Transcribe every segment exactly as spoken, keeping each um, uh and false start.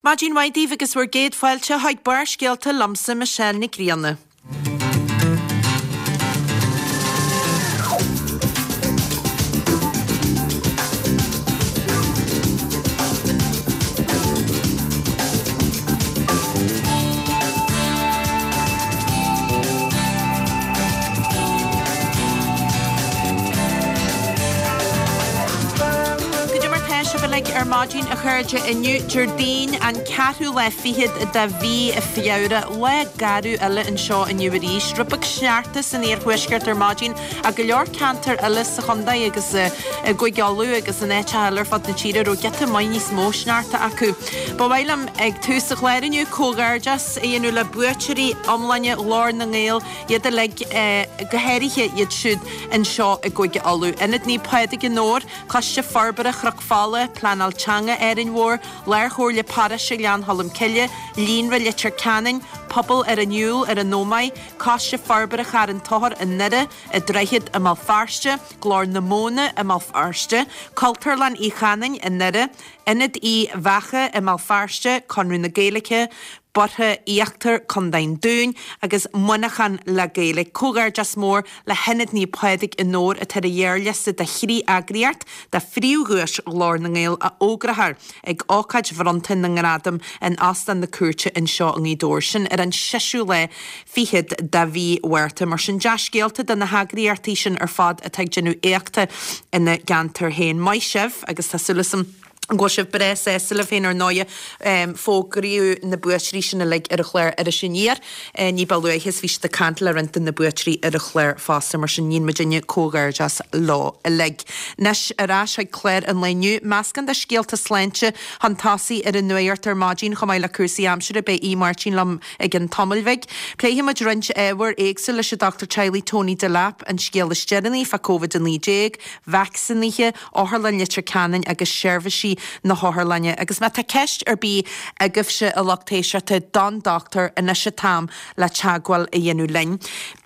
Maidin mhaith daoibh agus bhur gcéad fáilte chuig Barrscéalta liomsa Michelle Nic Grianna. Goidé mar tá sibh uilig ar maidin a chairde inniu Déardaoin an ceathrú lá fichead de mhí Feabhra lá garbh eile anseo inniu arís. Rud beag sneachta san iarthuaisceart ar maidin ach go leor ceantar eile sa chontae agus i gCúige Uladh agus in áiteacha eile ar fud na tíre raibh giota maith níos mó sneachta acu. Ba mhaith liom ag tús an chláir inniu comhghairdeas a dhéanamh le buaiteoirí iomláine Ghlór na nGael iad uilig go háirithe iad siúd anseo i gCúige Uladh. Ionad Naomh Pádraig i nDobhar, Coiste Forbartha Chnoc Fola, Pleanáil Teanga Árainn Mhór, Lárchomhairle Paróiste Ghleann Cholm Cille, Líonra Leitir Ceanainn, Pobal ar an Iúl ar an Ómaigh, Coiste Forbartha Charn Tóchair i nDoire, i Droichead i mBéal Feirste, Glór na Móna i mBéal Feirste, Cultúrlann Uí Chanáin i nDoire, Ionad Uí Bheacha i mBéal Feirste, Conradh na Gaeilge, Boirche Íochtar, Contae an Dúin, agus Muineachán le Gaeilge. Comhghairdeas mór le hIonad Naomh Pádraig i nDobhar atá ar an ghearrliosta de thrí eagraíocht do phríomhdhuais Ghlór na nGael a fhógrófar ag ócáid bhronnta na ngradam in Óstán na Cúirte anseo i nGaoth Dobhair. Sin ar an seisiú lá fichead de mhí Mhárta. Mar sin dea-scéalta do na heagraíochtaí sin ar fad atá ag déanamh éachta ina gceantar féin. Maith sibh agus tá súil agam go bhfuil sibh breá sásta libh féin ar ndóigh. Fógraíodh na buaiteoirí sin uilig ar an chlár Iris Aniar ní ba luaithe is bhí siad ag caint le roinnt de na buaiteoirí ar an chlár fosta mar sin níonn muidinne comhghairdeas leo uilig. Anois ar ais chuig clár an lae inniu, meascán de scéalta sláinte chun tosaigh ar an nuacht ar maidin chomh maith le cúrsaí aimsire beidh Aodh Máirtín liom i gcionn tamaill bhig. Pléifidh muid roinnt ábhair éagsúil leis an dochtúir teaghlaigh Tony Delap, an scéal is deireanaí fá Covid a naoi déag, vacsaínithe, Otharlann Leitir Ceanainn agus seirbhísí na hotharlainne. Agus má tá ceist ar bith agaibhse a lucht éisteachta don dochtúir anois an t-am le teagmháil a dhéanamh linn.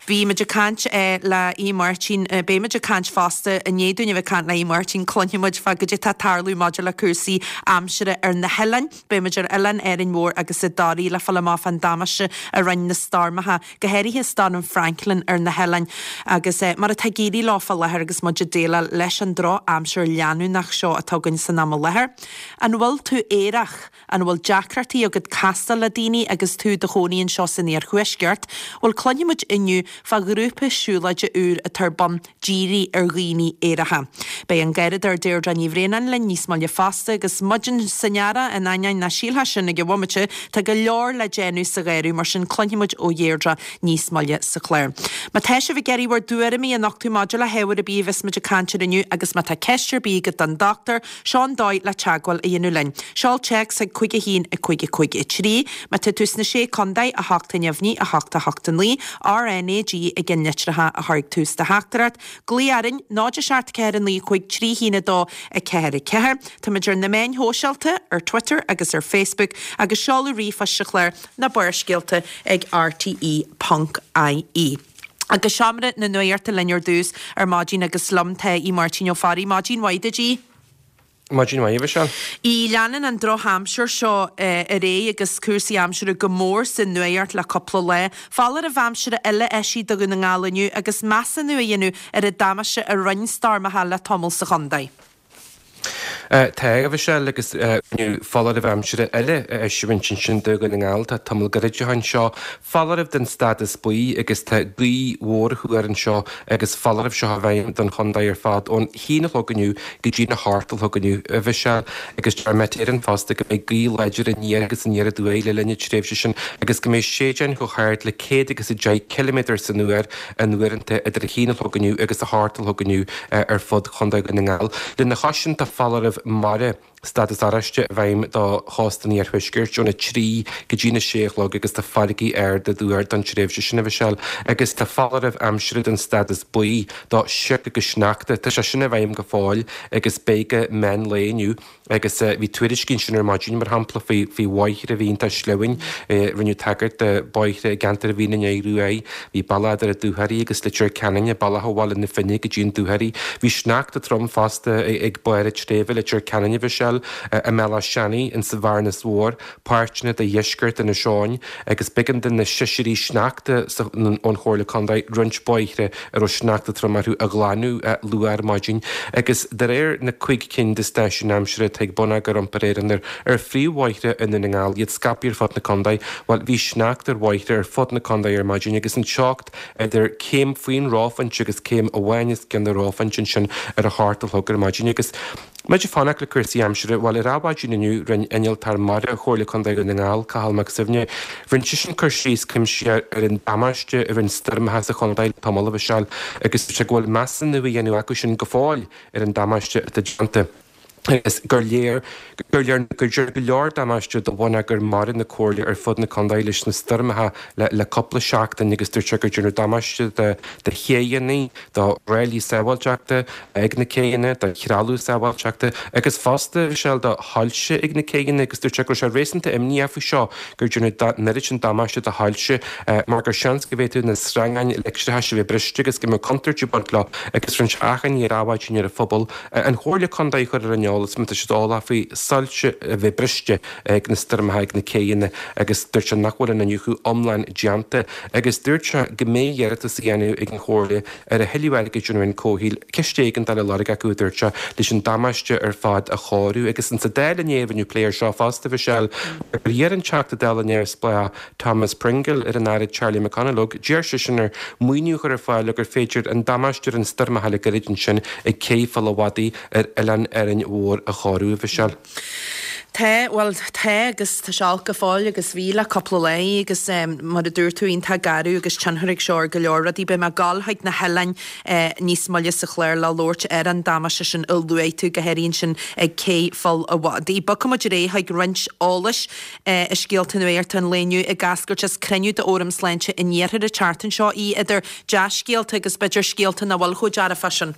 Bhí muid ag caint le Aodh Máirtín, beidh muid ag caint fosta i ndiaidh dúinn a bheith ag caint le Aodh Máirtín, cluinfidh muid fá goidé atá ag tarlú maidir le cúrsaí aimsire ar na hoileáin. Beidh muid ar Oileán Árainn Mhór agus i dToraí le fáil amach fán damáiste a rinne na stoirmeacha, go háirithe Stoirm Franklin ar na hoileáin agus mar atá ag éirí leo fá láthair agus muid ag déileáil leis an drochaimsir leanúnach seo atá againn san am i láthair. An bhfuil tú aerach? An bhfuil deacrachtaí agat castáil le daoine agus tú i do chónaí anseo san iarthuaisceart? Bhuel cluinfidh muid inniu fá ghrúpa siúlóide úr atá ar bun dírithe ar dhaoine aeracha. Beidh an Garradóir Deirdre Ní Bhraonáin linn níos moille fosta agus muid san earrach in ainneoin nach sílfeá sin ag an bhomaite, tá go leor le déanamh sa gharradh mar sin cluinfidh muid ó Dheirdre níos moille sa chlár. Má tá sibh ag iarraidh bhur dtuairimí a nochtadh maidir le hábhar ar bith a bheas muid ag caint air inniu agus má tá ceist ar bith agat don dochtúir, seo an dóigh le teagmháil a dhéanamh linn. Seol téacs chuig cúig a haon a cúig a cúig a trí. Má tá tú sna Sé Contae, a hocht a neamhní, a hocht a hocht a naoi, RNAG i gceann litreacha a chur ag tús do theachtaireacht. Glaoigh orainn, náid a seacht ceathair a naoi cúig trí haon a dó a ceathair a ceathair. Táimid ar na meáin shóisialta, ar Twitter agus ar Facebook, agus seoladh ríomhphoist sa chlár ná Barrscéalta ag rte ponc ie. Agus seomra na nuachta linn ar dtús ar maidin agus liom tá Aodh Máirtín Ó Fearraigh. Maidin mhaith duit, Aodh. Maidin mhaith, a Mhichelle. Aodh, leanann an drochaimsir seo ar aghaidh agus cúrsaí aimsire go mór sa nuacht le cúpla lá. Foláireamh aimsire eile eisithe do Dhún na nGall inniu agus measúnú á dhéanamh ar an damáiste a rinne stoirmeacha le tamall sa chontae. Tá, a Mhichelle, agus rinneadh foláireamh aimsire eile a eisiúint ansin do Dhún na nGall. Tá tamall gairid ó shin seo foláireamh den stádas buí agus tá gaoth mhór á thuar anseo agus foláireamh seo i bhfeidhm don chontae ar fad ón haon a chlog inniu go dtí a hocht a chlog inniu, a Mhichelle, agus deir Met Éireann fosta go mbeidh gaoth láidir aniar agus aniar aduaidh le linn na tréimhse sin agus go mbeidh séideáin chomh hard le céad agus a deich ciliméadar san uair in uaireanta idir a haon a chlog inniu agus a hocht a chlog inniu ar fud Chontae Dhún na nGall. Lena chois sin tá foláireamh mara, stádas oráiste, i bhfeidhm do chósta an iarthuaiscirt óna trí go dtí na sé a chlog agus tá farraigí arda á dtuar don tréimhse sin, a Mhichelle, agus tá foláireamh aimsire den stádas buí do shioc agus sneachta. Tá sé sin i bhfeidhm go fóill agus beidh go meán lae inniu agus bhí tuairiscí ansin ar maidin, mar shampla, faoi faoi bhóithre a bhí iontach sleamhain. Rinneadh tagairt do bhóithre i gceantar Mhín an Aodha Ruaidh. Bhí bealach idir an Dúchoraidh agus Leitir Ceanainn, bealach ó Bhaile na Finne go dtí an Dúchoraidh. Bhí sneachta trom fosta ag barr an tsléibhe, Leitir Ceanainn, a Mhichelle. Mhichelle, i mBealach Seanaidh, insa Bhearnas Mhór, páirteanna de dheisceart Inis Eoghain agus b'éigean do na sisirí sneachta ón Chomhairle Contae roinnt bóithre a raibh sneachta trom orthu a ghlanadh luath ar maidin agus de réir na cúig cinn de stáisiúin aimsire atá ag Bonneagar Iompair Éireann ar phríomhbhóithre i nDún na nGall, iad scaipthe ar fud na contae, bhuel bhí sneachta ar bhóithre ar fud na contae ar maidin agus an teocht idir céim faoin reophointe agus céim amháin os cionn an reophointe ansin ar a hocht a chlog ar maidin agus Muid ag fanacht le cúrsaí aimsire, bhuel ar adhmhaidin inniu rinne innealtóir mara Chomhairle Contae Dhún na nGall, Cathal Mac Suibhne, rinne seisean cur síos cuimsitheach ar an damáiste a rinne stoirmeacha sa chontae le tamall, a Mhichelle, agus dúirt sé go bhfuil measúnú á dhéanamh acu sin go fóill ar an damáiste atá déanta. Agus gur léir gur léir gur déanadh go leor damáiste do bhonneagar mara na Comhairle ar fud na contae leis na stoirmeacha le le cúpla seachtain agus dúirt sé gur déanadh damáiste do do chéidheanna, do ráillí sábháilteachta ag na céidheanna, do threalamh sábháilteachta agus fosta, Michelle, do shoilse ag na céidheanna agus dúirt sé go raibh sé réasúnta imníoch faoi seo gur déanadh an oiread sin damáiste do shoilse mar gur seans go bhféadfadh na sreangáin leictreachais a bheith briste agus go mbeadh contúirt ag baint leo agus rinne sé achainí ar adhmhaidin ar an phobal an Chomhairle Contae a chur ar an eolas má tá siad eolach faoi soilse a bheith briste ag na stoirmeacha ag na céidheanna agus dúirt sé nach bhfuil an iniúchadh iomlán déanta agus dúirt sé go mbeidh iarratas á dhéanamh ag an Chomhairle ar a thuilleadh airgid ón Roinn Comhshaoil, ciste éigeandála á lorg acu, a dúirt sé, leis an damáiste ar fad a chóiriú. Agus insa Dáil inné rinneadh plé air seo fosta, Michelle, mar gur iarr an Teachta Dála neamhspleách Thomas Pringle ar an Aire Charlie McConalogue, d'iarr seisean air maoiniú a chur ar fáil le gur féidir an damáiste a rinne stoirmeacha le gairid ansin ag Cé Pholl a' Mhadaidh ar Oileán Árainn Mhór a chóiriú, a Mhichelle. Tá, bhuel, tá agus tá sé olc go fóill agus bhí le cúpla lá agus mar a dúirt tú iontach garbh agus tionchar ag seo ar go leor rudaí. Beidh mé ag gabháil chuig na hoileáin níos moille sa chlár le labhairt ar an damáiste sin a luaigh tú, go háirithe ansin ag Cé Pholl a' Mhadaidh. Bogfaidh muid ar aghaidh chuig roinnt eolais i scéalta nuachta an lae inniu ag eascairt as cruinniú d'Fhóram Sláinte an Iarthair an tseachtain seo, í idir dea-scéalta agus b'fhéidir scéalta nach bhfuil chomh dearfach sin.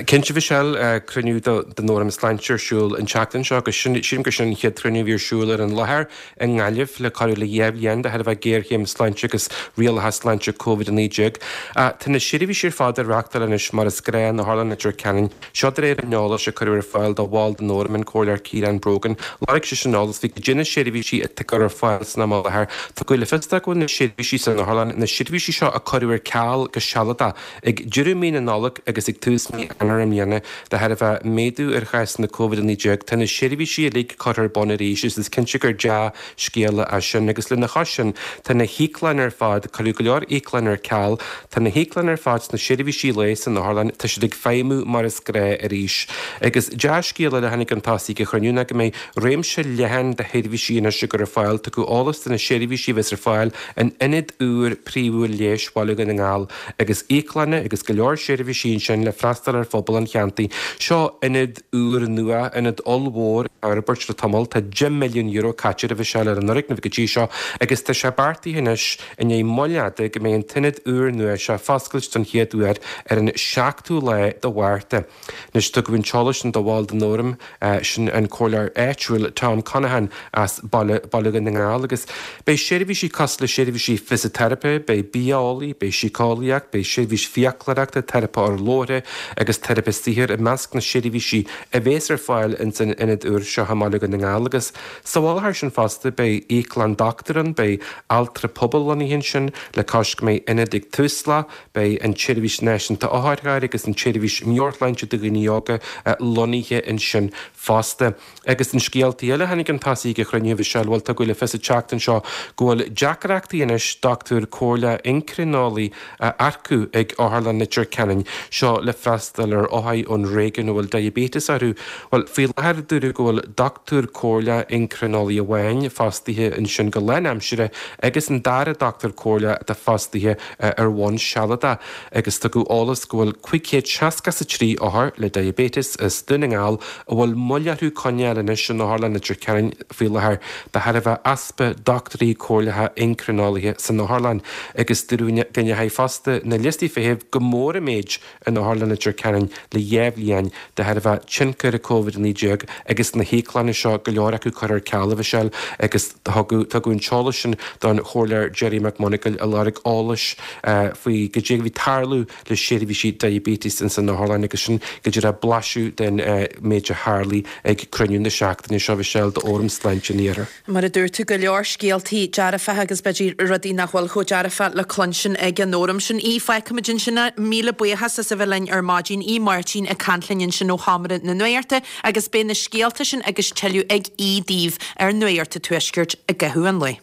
Cinnte, Michelle, cruinniú den Fhóram Sláinte ar siúl an tseachtain seo agus sílim gur sin an chéad chruinniú a bhí ar siúl ar an láthair i nGaillimh le corradh le dhá bhliain de thairbhe géarchéim sláinte agus rialacha sláinte Covid a naoi déag. Tá na seirbhísí ar fad á reáchtáil anois mar is gnáth in Otharlann Leitir Ceanainn. Seo de réir an eolais a cuireadh ar fáil do bhall den Fhóram, an Comhairleoir Ciarán Brogan. Lorg seisean eolas faoi goidé na seirbhísí atá á gcur ar fáil san am i láthair. Tugadh le fios dó go bhfuil na seirbhísí san otharlann, na seirbhísí seo a cuireadh ar ceal go sealadach ag deireadh mí na Nollag agus ag tús mí Eanáir i mbliana, de thairbhe méadú ar chásanna Covid a naoi déag, tá na seirbhísí uilig curtha ar bun arís agus is cinnte gur dea-scéala é sin. Agus lena chois sin, tá na híoclanna ar fad, cuireadh go leor íoclann ar ceal, tá na híoclanna ar fad sna seirbhísí lae san otharlann, tá siad ag feidhmiú mar is gnáth arís. Agus dea-scéala eile a tháinig chun tosaigh ag an chruinniú ná go mbeidh réimse leathan de sheirbhísí anois á gcur ar fáil. Tugadh eolas de na seirbhísí a bheas ar fáil in ionad úr príomhúil leighis Bhaile Dhún na nGall agus íoclanna agus go leor seirbhísí ansin le freastal ar phobal an cheantair. Seo ionad úr nua, ionad ollmhór á fhorbairt le tamall. Tá deich milliún euro caite air, a Mhichelle, ar an fhoirgneamh go dtí seo agus tá sé beartaithe anois, i ndiaidh moill fhada, go mbeidh an t-ionad úr nua seo á foscailt don chéad uair ar an seachtú lá de Mhárta. Anois tugadh an t-eolas sin do bhall den Fhóram, sin an comhairleoir áitiúil Tom Conaghan as Baile Dhún na nGall agus beidh seirbhísí cosúil le seirbhísí fisiteiripe, beidh bia-eolaí, beidh síceolaíocht, beidh seirbhís fiaclóireachta, teiripe urlabhra agus teiripe saothair i measc na seirbhísí a bhéas ar fáil ins an ionad úr seo i mBaile Dhún na nGall agus sa mhullach air sin fosta beidh íoclann dochtúir ann, beidh altra pobail lonnaithe ansin le cois go mbeidh ionad ag Tusla, beidh an tSeirbhís Náisiúnta Otharchairr agus an tSeirbhís Meabhairshláinte do Dhaoine Óga lonnaithe ansin fosta. Agus in scéaltaí eile a tháinig chun tosaigh ag an chruinniú, a Mhichelle, bhuel tugadh le fios an tseachtain seo go bhfuil deacrachtaí anois dochtúir comhairleach eincrineolaí a earcú ag Otharlann Leitir Ceanainn, seo le freastal ar othair ón réigiún a bhfuil diaibéiteas orthu. Bhuel, faoi láthair dúradh go bhfuil dochtúir comhairleach eincrineolaí amháin fostaithe ansin go lánaimseartha agus an dara dochtúir comhairleach atá fostaithe ar bhonn sealadach agus tugadh eolas go bhfuil cúig chéad seasca is a trí othar le diaibéiteas as Dún na nGall a bhfuil moill orthu coinneáil anois in Otharlann Leitir Ceanainn faoi láthair de thairbhe easpa dochtúirí comhairleacha eincrineolaithe san otharlann agus dúradh go ndeachaigh fosta na liostaí feithimh go mór i méid in Otharlann Leitir Ceanainn. Ceanainn le dhá bhliain de thairbhe tionchar Covid a naoi déag agus na híoclanna seo go leor acu curtha ar ceal a Mhichelle agus tugadh an t-eolas sin don Chomhairleoir Gerry McMonagall a lorg eolais faoi goidé a bhí ag tarlú le seirbhísí diabetes ins an otharlann agus sin go díreach blaiseadh den méid a tharlaigh ag cruinniú na seachtaine seo a Mhichelle d'Fhóram Sláinte an Iarthair. Mar a dúirt tú, go leor scéaltaí dearfacha agus b'fhéidir rudaí nach bhfuil chomh dearfach le cluinstin ag an fhóram sin. Aodh, fágfaimid ansin é. Míle buíochas as a bheith linn ar maidin. Aodh Máirtín ag caint linn ansin ó Sheomra na Nuachta agus beidh na scéalta sin agus tuilleadh ag Aodh daoibh ar Nuacht an Tuaiscirt i gcaitheamh an lae.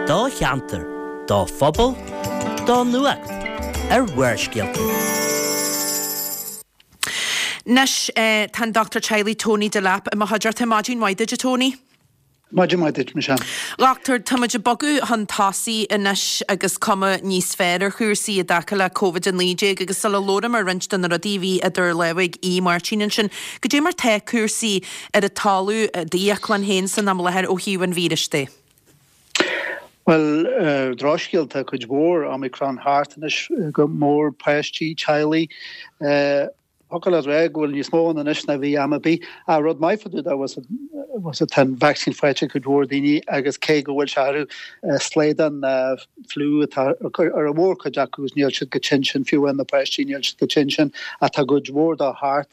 Do cheantar, do phobal, do nuacht ar Bharrscéalta. Anois tá an Dochtúir Teaghlaigh Tony Delap i mo chuideachta. Maidin mhaith duit a Tony. Maidin mhaith duit, Michelle. Dhochtúir, tá muid ag bogadh chun tosaigh anois agus cuma níos fearr ar chúrsaí i dtaca le Covid a naoi déag agus sula labhraím ar roinnt de na rudaí a bhí idir lámha ag Aodh Máirtín ansin, goidé mar tá cúrsaí ar an talamh i d'íoclann féin san am i láthair ó thaobh an víris de? Bhuel, drochscéal, tá cuid mhór Omicron thart anois, go mór páistí, teaghlaigh. Thiocfadh leat rá go bhfuil níos mó ann anois ná bhí am ar bith. Ach rud maith fá dtaobh de, bhfuil tá an vacsaín faighte ag cuid mhór daoine agus cé go bhfuil sé orthu slaghdán fliú atá ar an mhórchuid acu agus níl siad chomh tinn sin, fiú amháin na páistí níl siad chomh tinn sin ach tá cuid mhór dó thart.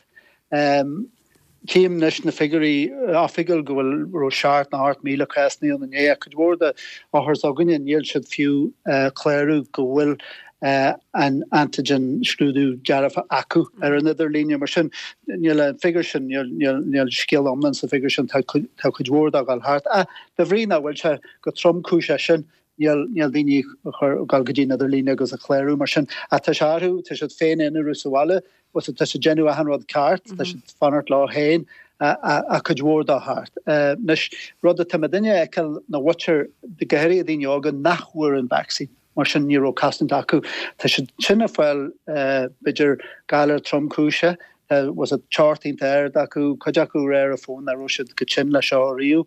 Tchím anois na figiúirí oifigiúil go bhfuil raibh seacht nó ocht míle cásanna ann inné ach cuid mhór de othair s'againne níl siad fiú clárú go bhfuil an antigen scrúdú dearfa acu ar an idirlíne. Mar sin níl an figiúr sin, níl scéal iomlán sa bhfigiúr sin, tá cuid mhór dó ag dul thart. Ach de bhrí nach bhfuil sé chomh tromchúiseach sin, níl níl daoine ag dul go dtí an idirlíne agus ag clárú mar sin. Ach tá sé orthu, tá siad féin aonarú sa bhaile, tá siad ag déanamh achan rud ceart, tá siad ag fanacht leo féin ach cuid mhór dó thart. Anois, rud atá muidinne a fheiceáil na mhuintir, go háirithe daoine óga nach bhfuair an vacsaín. Mar sin ní raibh cosaint acu. Tá siad sin ag fáil b'fhéidir galar tromchúiseach, was it teocht iontach ard acu, cuid acu ag rá ar an bhfón nach raibh siad chomh tinn leis seo riamh.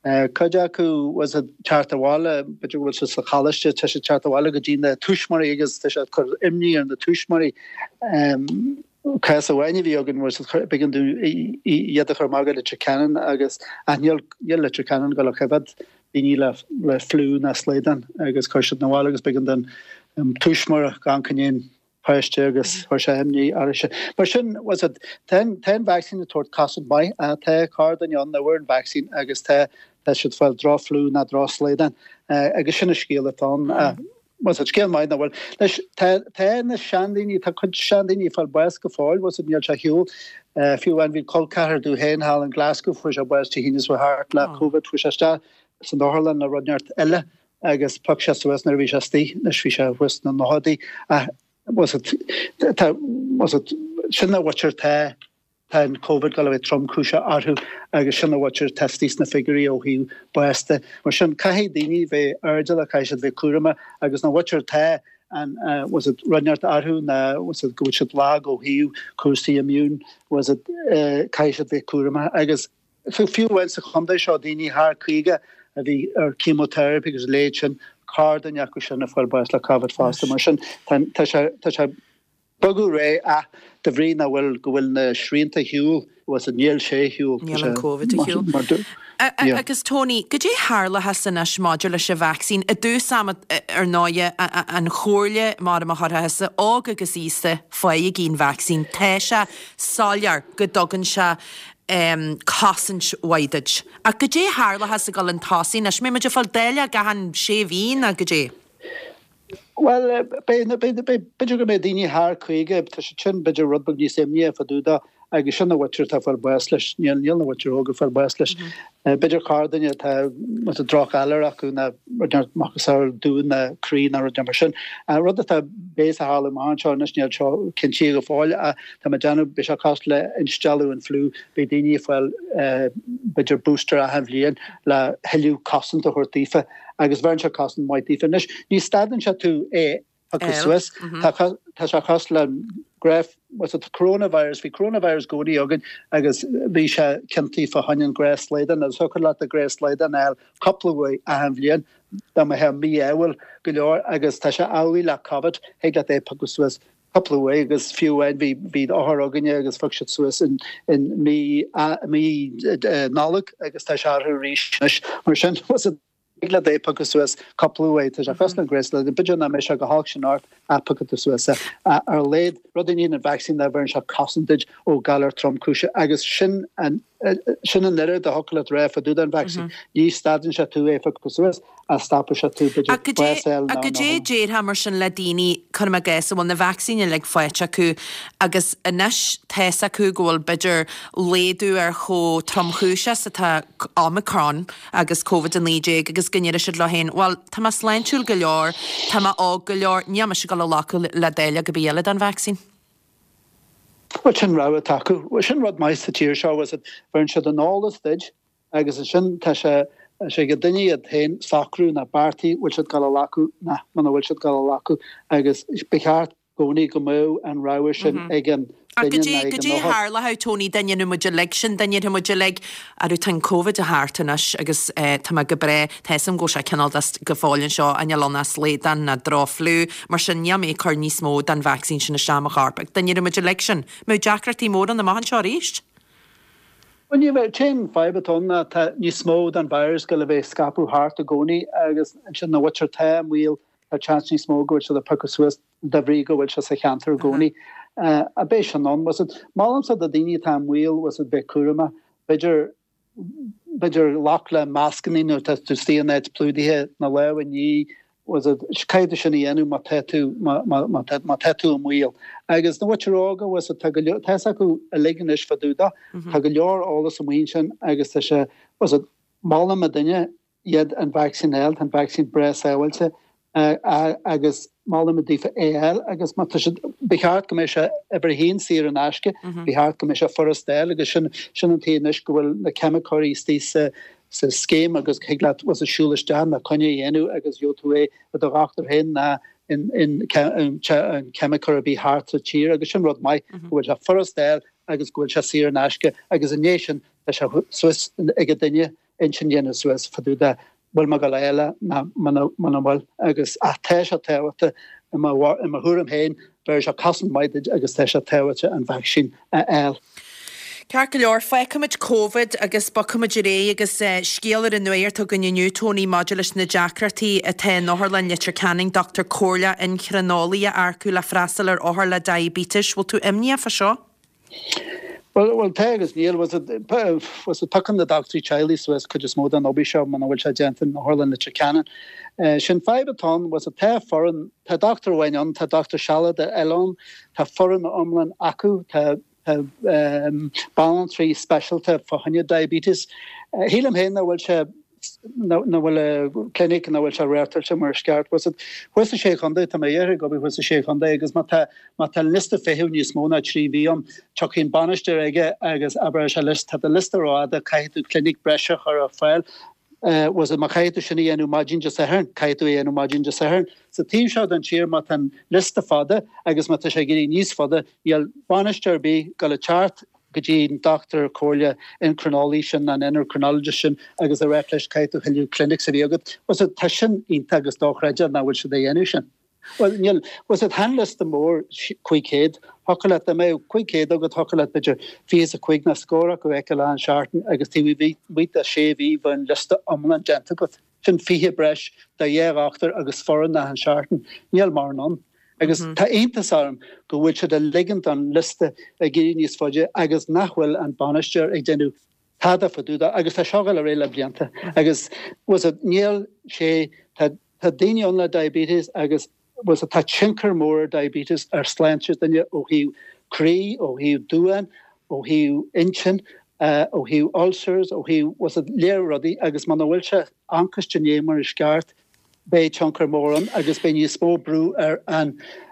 Cuid acu was it teacht abhaile, b'fhéidir go bhfuil siad sa choláiste, tá siad teacht abhaile go dtí na tuismitheoirí agus tá siad ag cur imní ar na tuismitheoirí. Cás amháin a bhí againn was it b'éigean dúinn iad a chur amach go Leitir Ceanainn agus ach níl Leitir Ceanainn ag dul a choimhéad daoine le le fliú ná slaghdán agus chuir siad 'na bhaile agus b'éigean don tuismitheoir a ghabháil chun an páiste agus chuir sé imní uirthi. Mar sin, was it, tá an tá an vacsaín ag tabhairt cosaint maith, tá corrduine ann a bhfuair an vacsaín agus tá tá siad ag fáil droch-fhliú ná droch-shlaghdán agus sin an scéal atá ann. Was it, scéal maith nach bhfuil. Anois, tá tá na seandaoine, tá cuid seandaoine ag fáil bás go fóill, was it, níl sé ar shiúl. Fiú amháin bhí col ceathrar domh féin thall in Glasgow, fuair sé bás Dé hAoine seo thart le Covid, fuair sé isteach san otharlann le rud inteacht eile agus phioc sé suas nuair a bhí sé istigh, anois bhí sé thuas sna nóchaidí ach was it, tá, was it, sin an mhuintir tá, tá an Covid ag dul a bheith tromchúiseach orthu agus sin an mhuintir atá istigh sna figiúirí ó thaobh bás de. Mar sin caithfidh daoine bheith airdeallach, caithfidh siad bheith cúramach agus na mhuintir tá an was it rud inteacht orthu ná was it go bhfuil siad lag ó thaobh cúrsaí immune, was it caithfidh siad bheith cúramach agus Fiú amháin sa chontae seo, daoine thar caoga a bhí ar chemotherapy agus a leithéid sin, corrduine acu sin ag fáil bás le Covid fosta. Mar sin, tá sé ag bogadh ar aghaidh ach de bhrí nach bhfuil, go bhfuil na srianta ar shiúl, bhfuil fhios níl sé ar shiúl. Níl an Covid ar shiúl. Agus Tony, goidé a tharlóchas anois maidir leis an vacsaín? I dtús ama, ar ndóighe, an chomhairle mar a chuirfeá thusa, óg agus aosta, faighigí an vacsaín. Tá sé soiléir go dtugann sé cosaint mhaith duit. Ach goidé a tharlóchas ag dul chun tosaigh anois? Mbeidh muid ag fáil dáileog achan sé mhí nó goidé? Bhuel, beidh, beidh, beidh, b'fhéidir go mbeidh daoine thar caoga, tá siad sin b'fhéidir rud beag níos imníche fá dtaobh dó agus sin an mhuintir atá ag fáil bás leis, níl, níl na mhuintir óga ag fáil bás leis. B'fhéidir corrduine atá, má tá drochghalar acu ná rud inteacht macasamhail dún ná croí ná rud inteacht mar sin. An rud atá béas a tharlú amach anseo anois, níl seo cinntithe go fóill ach tá mé ag déanamh, beidh sé cosúil le instealladh an fliú, beidh daoine ag fáil b'fhéidir booster achan bhliain le thuilleadh cosaint a thabhairt daofa agus bheireann sé cosaint maith daofa. Anois, ní stadann sé tú é a phiocadh suas, tá sé cosúil le graf, was it coronavirus, bhí coronavirus i gcónaí againn agus bhí sé ciontaí fá choinne an gnáthshlaghdán agus thiocfadh leat an gnáthshlaghdán a fháil cúpla uair achan bhliain. dá mbeifeá míádhúil go leor agus tá sé amhlaidh le Covid, thig leat é a phiocadh suas cúpla uair agus fiú amháin bhí bhí othar againne agus phioc siad suas in in mí mí Nollag agus tá sé orthu arís anois. Mar sin thig leat é a phiocadh suas cúpla uair, tá sé cosúil le gréasáin, b'fhéidir nach mbeidh sé chomh holc sin ort ach piocfaidh tú suas é. Ar a laghad, rud a dhéanann an vacsaín ná bheireann sé cosaint duit ó ghalar tromchúiseach agus sin an sin an oiread a thiocfadh leat a rá fá dtaobh den vacsaín. Ní stadann sé tú é a phiocadh suas ach stopann sé tú b'fhéidir Ach bás a fháil ach nó goidé a déarfá mar sin le daoine, cuirim i gcás, a bhfuil na vacsaíní uilig faighte acu agus anois tá's acu go bhfuil b'fhéidir laghdú ar chomh tromchúiseach is atá Omicron agus Covid a naoi déag agus go ndéarfaidh siad leo féin, bhuel, tá mé sláintiúil go leor, tá mé óg go leor, níl mise ag dul a ghlacadh le dáileog ar bith eile den vacsaín. Bhuel, sin rogha atá acu. Bhuel, sin rud maith sa tír seo, bhfuil 'fhios a'd, bheireann siad an eolas duit agus ansin tá sé sé ag duine iad féin socrú ná beartaí, bhfuil siad ag dul a ghlacadh ná muna bhfuil siad ag dul a ghlacadh agus ba cheart i gcónaí go mbeadh an rogha sin ag an Ach duine goidé, ná ag an goidé a othar. tharlódh, Tony, dá ndéanfadh muid uilig sin, dá ndéarfadh muid uilig, arú tá an Covid thart anois agus eh, tá mé go breá, tá 'fhios a'm go bhfuil sé cineál de go fóill anseo, níl ann ach slaghdán ná droch-fhliú, mar sin níl mé ag cur níos mó den vacsaín sin isteach i mo chorp. Ach dá ndéarfadh muid uilig sin, mbeadh deacrachtaí móra ann amach anseo arís? Bhuel ní bheadh, an t-aon fadhb atá ann ná tá níos mó den virus ag dul a bheith ag scaipeadh thart i gcónaí agus ansin na mhuintir atá i mbaol tá seans níos mó go bhfuil siad ag piocadh suas de bhrí go bhfuil sé sa cheantar i gcónaí. Ach beidh sin ann. Bhfuil 'fhios a'd, molaimse do daoine atá i mbaol, bhfuil 'fhios a'd, bheith cúramach. B'fhéidir, b'fhéidir glacadh le mascannaí nuair atá tú istigh in áit plódaithe, na lámha a ní, bhfuil 'fhios a'd, caithfidh tú sin a dhéanamh má tá tú, má, má, má tá, má tá tú i mbaol. Agus na mhuintir óga, bhfuil 'fhios a'd, tá go leor, tá 'fhios acu uilig anois fá dtaobh de, tá go leor eolas amuigh ansin agus tá sé, bhfuil 'fhios a'd, molaim do duine iad an vacsaín a fháil, tá an vacsaín breá sábháilte agus molaim daofa é a fháil agus má tá siad, ba cheart go mbeadh sé uimhir a haon saor in aisce, ba cheart go mbeadh sé furast a fháil agus sin, sin an tuige anois go bhfuil na ceimiceoirí istigh sa, sa scéim agus thig leat bhfuil 'fhios a'd siúl isteach ná coinne a dhéanamh agus gheobhaidh tú é i do dhochtúir féin ná in, in, in ceimiceoir ar bith thart sa tír agus sin rud maith go bhfuil sé furast a fháil agus go bhfuil sé saor in aisce agus i ndiaidh sin tá sé suas ag an duine intinn a dhéanamh suas fá dtaobh de bhfuil mé ag dul a fháil é ná muna muna bhfuil agus ach tá sé tábhachtach i mo i mo thuairim féin bheir sé cosaint maith duit agus tá sé tábhachtach an vacsaín a fháil. Ceart go leor, fágfaimid Covid agus bogfaimid ar aghaidh agus scéal ar an nuacht againn inniu, Tony, maidir leis na deacrachtaí atá in Otharlann Leitir Ceanainn, dochtúir comhairleach inchrineolaí a earcú le freastal ar othair le diaibéiteas. Bhfuil tú imníoch fá seo? Bhuel, bhuel, tá agus níl. Bhfuil 'fhios a'd, bhfuil 'fhios a'd, piocann na dochtúirí teaghlaigh suas cuid is mó den obair seo muna bhfuil sé déanta in Otharlann Leitir Ceanainn. Sin fadhb atá ann, bhfuil 'fhios a'd, tá foireann, tá dochtúir amháin ann, tá dochtúir sealadach eile ann, tá foireann iomlán acu, tá, tá banaltraí speisialta fá choinne diabetes. Shílim féin nach bhfuil sé, nach bhfuil an clinic, nach bhfuil sé reáchtáilte mar is ceart. Bhfuil 'fhios a'd, thuas sa Sé Chontae, tá mé ag obair thuas sa Sé Chontae agus má tá, má tá liosta feithimh níos mó ná trí mhí ann, tiocfaidh an bainisteoir aige agus abróidh sé leis, tá do liosta rófhada, caithfidh tú clinic breise a chur ar fáil. Bhfuil 'fhios a'd, má chaithfidh tú sin a dhéanamh maidin Dé Sathairn, caithfidh tú é a dhéanamh maidin Dé Sathairn. Sa taobh seo den tír, má tá an liosta fada agus má tá sé ag éirí níos fada, níl bainisteoir ar bith ag dul a teacht go dtí an dochtúir comhairle incrineolaí sin, an endocrinologist sin agus a ráit leis caithfidh tú tuilleadh clinics a bheith agat. Bhfuil 'fhios a'd, tá sin iontach agus dochreidte nach bhfuil siad a dhéanamh sin. Bhuel, níl, bhfuil 'fhios a'd, tá an liosta mór cúig chéad, thiocfadh leat, dá mbeadh cúig chéad agat, thiocfadh leat b'fhéidir fiche is a cúig nó scór acu a fheiceáil achan seachtain agus taobh amuigh de sé mhí bheadh an liosta iomlán déanta agat. Sin fiche breis de dhá dhochtúir agus foireann achan seachtain. Níl mórán ann. Agus tá iontas orm go bhfuil siad ag ligint don liosta ag éirí níos faide agus nach bhfuil an bainisteoir ag déanamh tada fá dtaobh de agus tá seo ag dul ar aghaidh le blianta agus bhfuil 'fhios a'd, níl sé, tá tá daoine ann le diabetes agus bhfuil 'fhios a'd, tá tionchar mór ar diabetes ar shláinte duine ó thaobh croí, ó thaobh duán, ó thaobh intinn, ó thaobh ulcers, ó thaobh bhfuil 'fhios a'd, lear rudaí agus muna bhfuil sé anchas den é mar is ceart, beidh tionchar mór ann agus beidh níos mó brú ar an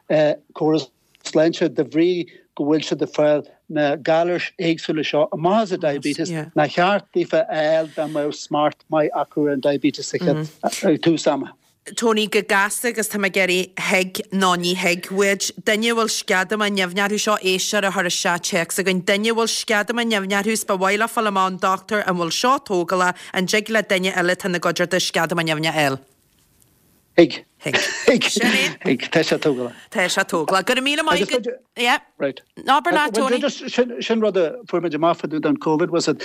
gcóras sláinte de bhrí go bhfuil siad ag fáil na galair éagsúla seo amach as an diabetes nár cheart daofa a fháil dá mbeadh smacht maith acu ar an diabetes sa chéad ag tús ama. Tony, go gasta agus tá mé ag iarraidh thig nó ní thig uait. Duine a bhfuil sceadamán nimhne orthu, seo éisteoir a chuir isteach téacs againn, duine a bhfuil sceadamán nimhne orthu is ba mhaith leo fáil amach ón dochtúir an bhfuil seo tógálach, an dtig le duine eile atá ina gcuideachta sceadamán nimhne a fháil? Thig. Thig. Thig. Sin é. Thig. Tá sé tógálach. Tá sé tógálach. Go raibh míle maith Agus agat. Yeah. Right. Abair leat, Well, Tony. just sin sin rud a fuair muid amach fá dtaobh den Covid was it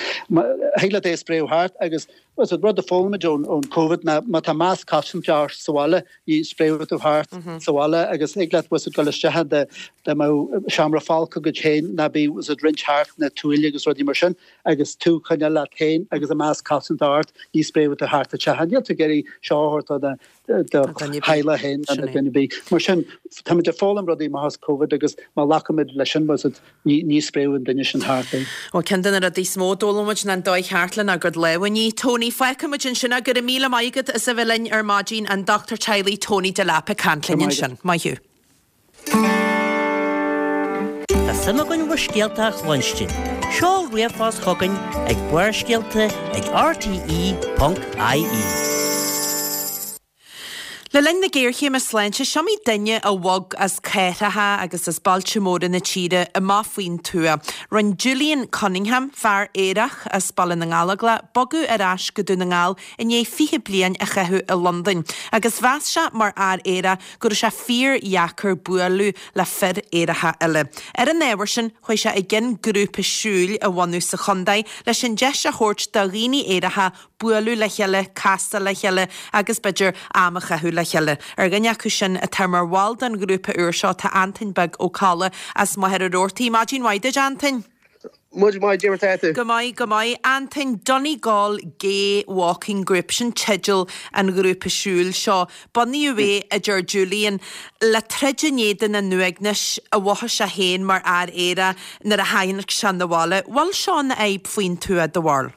thig leat é a spréadh thart agus was it rud a d'fhoghlaim muid ón ón Covid ná má tá masc cosanta ort sa bhaile ní spréadh tú thart sa bhaile agus thig leat was it dul isteach de de mo seomra folctha agat féin ná bí was it roinnt thart na tuaille agus rudaí mar sin agus tú coinneáil leat féin agus an masc cosanta ort ní spréadh tú thart a teach. Níl tú ag iarraidh seo a thabhairt do do Duine bith. theaghlach féin Sin na é. duine bith. Mar sin táimid ag foghlaim rudaí amach as Covid agus má ghlacaimid leis sin was it ní ní spréadh an duine sin thart é. Ó ceann de na rudaí is mó a d'fhoghlaim muid ná an dóigh cheart lenár gcuid lámha a ní. Tony, fágfaidh muid ansin go raibh míle maith agat as a bheith linn ar maidin an dochtúir teaghlaigh Tony Delap ag caint linn Go maith ansin. Maith thú. Tá suim againn bhur scéalta a chluinstin. Seol ríomhphost chugainn ag Barrscéalta ag rte.ie. Le linn na géarchéime sláinte is iomaí duine a bhog as cathracha agus as bailte móra na tíre amach faoin tuath. Rinne Julian Cunningham fear aerach as Baile na nGallóglach bogadh ar ais go Dún na nGall i ndiaidh fiche bliain a chaitheamh i Londain, agus mheas sé mar fhear aerach go raibh sé fíordheacair bualadh le fir aeracha eile. Ar an ábhar sin chuaigh sé i gcionn grúpa siúil a bhunú sa chontae leis an deis a thabhairt do dhaoine aeracha bualadh le chéile, casadh le chéile agus b'fhéidir am a chaitheamh le chéile. Ar dhuine acu sin atá mar bhall den ghrúpa úr seo tá Antain Beag Ó Colla as Machaire Rabhartaigh. Maidin mhaith duit Antain. Muid maith Jimmer Go maith go maith Antain Donegal Gay Walking Group sin teideal an ghrúpa siúil seo. Bunaíodh é a deir Julian le troid in éadan an uaignis a mhothaigh sé féin mar fhear aerach nuair a tháinig sé 'na bhaile. Bhfuil seo ina fhadhb faoin tuath do bharúil.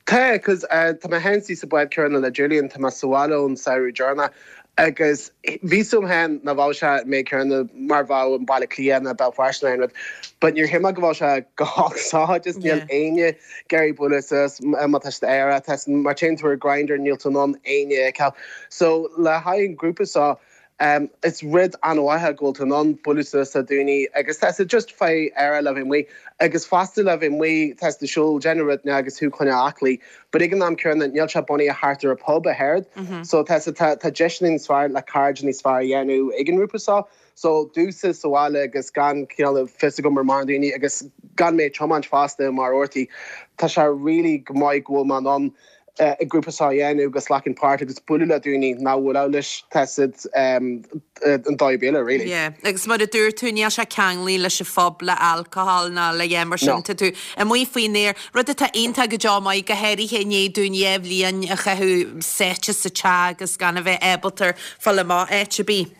Tá cos uh, tá mé féin sa bád céanna le Julian tá mé sa bhaile ón samhradh deireanach agus bhí fhios agam féin nach bhfuil sé mé céanna mar bheadh an Baile Átha Cliath nó Béal Feirste nó rud, but níor shíl mé go bhfuil sé go holc seo just níl Yeah. éinne ag iarraidh bualadh suas má tá aerach mar téann tú ar Grindr níl tú in ann éinne a fheiceáil. So le haghaidh an grúpa seo Um, is rud an-mhaith go bhfuil tú in ann bualadh suas le daoine agus tá just fé air le bheith amuigh agus fosta le bheith amuigh tá de siúl déanamh rud agus thú chun aclaí, but ag an am céanna níl sé bunaithe thart ar a pub a oiread, so tá tá tá deiseanna níos fearr le cairde níos fearr a dhéanamh ag an ngrúpa seo. So domsa sa bhaile agus gan cineál fios agam ar mar daoine agus gan mé tiomáint fosta mar ortaí Tá sé really go maith go bhfuil man an uh, i grúpa seo a dhéanamh agus glacann páirt agus bualadh le daoine nach bhfuil leis tá um, an dóigh béile really. Yeah. Agus mar a dúirt tú níl sé ceangailte leis an phub le alcohol ná le dhéan mar sin No. tá tú amuigh faoin aer rud atá iontach go deo maith go háirithe i ndiaidh dúinn dhá bhliain a chaitheamh sáite sa teach agus gan a bheith ábalta fáil amach áit ar bith.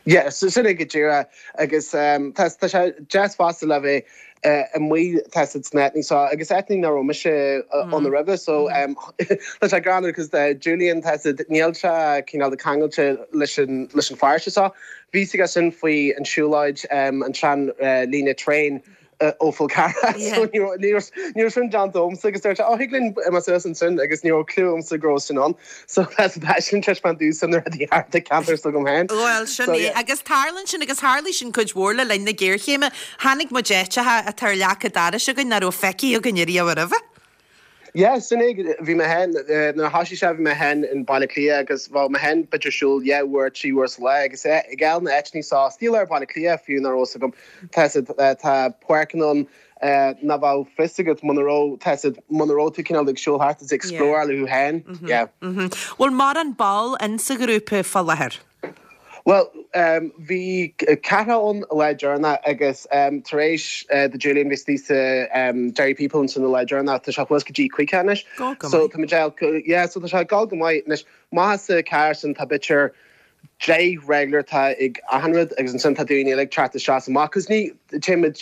Yeah, so sin go díreach agus um, tá tá sé deas fosta le bheith uh, amuigh tá sna so agus etní na raibh mise uh, on the river so um, tá sé greannmhar because uh, Julian tá níl sé cineál de ceangailte leis an leis an fear seo bhí sé sin faoi an siúlóid um, an tsean uh, líne traein uh, ó Fhál Carrach Yeah. so ní ní sin John domsa agus dúirt ó thig linn mas an sin agus ní clue agamsa go raibh sin ann so that's sin treispan dú san rudaí thart an ceantar s'agam féin. Well sin So, é yeah. agus tarlaíonn sin agus tharla sin cuid mhór le linn na géarchéime tháinig muid áiteacha atá ar leac an dorais againn nach raibh feicthe againn riamh roimhe. Yeah, sin é bhí mé féin na thosaigh sé bhí mé féin in Baile Átha Cliath agus bhí mé féin b'fhéidir siúl dhá uair trí uair sa lá agus é ag gabháil na áiteanna seo stíl ar Baile Átha Cliath fiú nach raibh agam tá tá páirceanna ann nach bhfuil fios agat muna raibh tá muna raibh tú cineál ag siúl thart is explore le thú féin. Yeah. Bhfuil mórán ball in sa ghrúpa fá láthair. Well, um, bhí ceathrar ann lá deireanach agus um, tar éis uh, de Julian bhí sa um, Derry People san lá deireanach tá sé suas go dtí cúigear anois. Go go So maith. tá mé yeah, so tá sé gal go maith anois maith sa cear san tá b'fhéidir deich regular tá ag achan rud agus ansin tá daoine like teacht isteach amach cos ní timid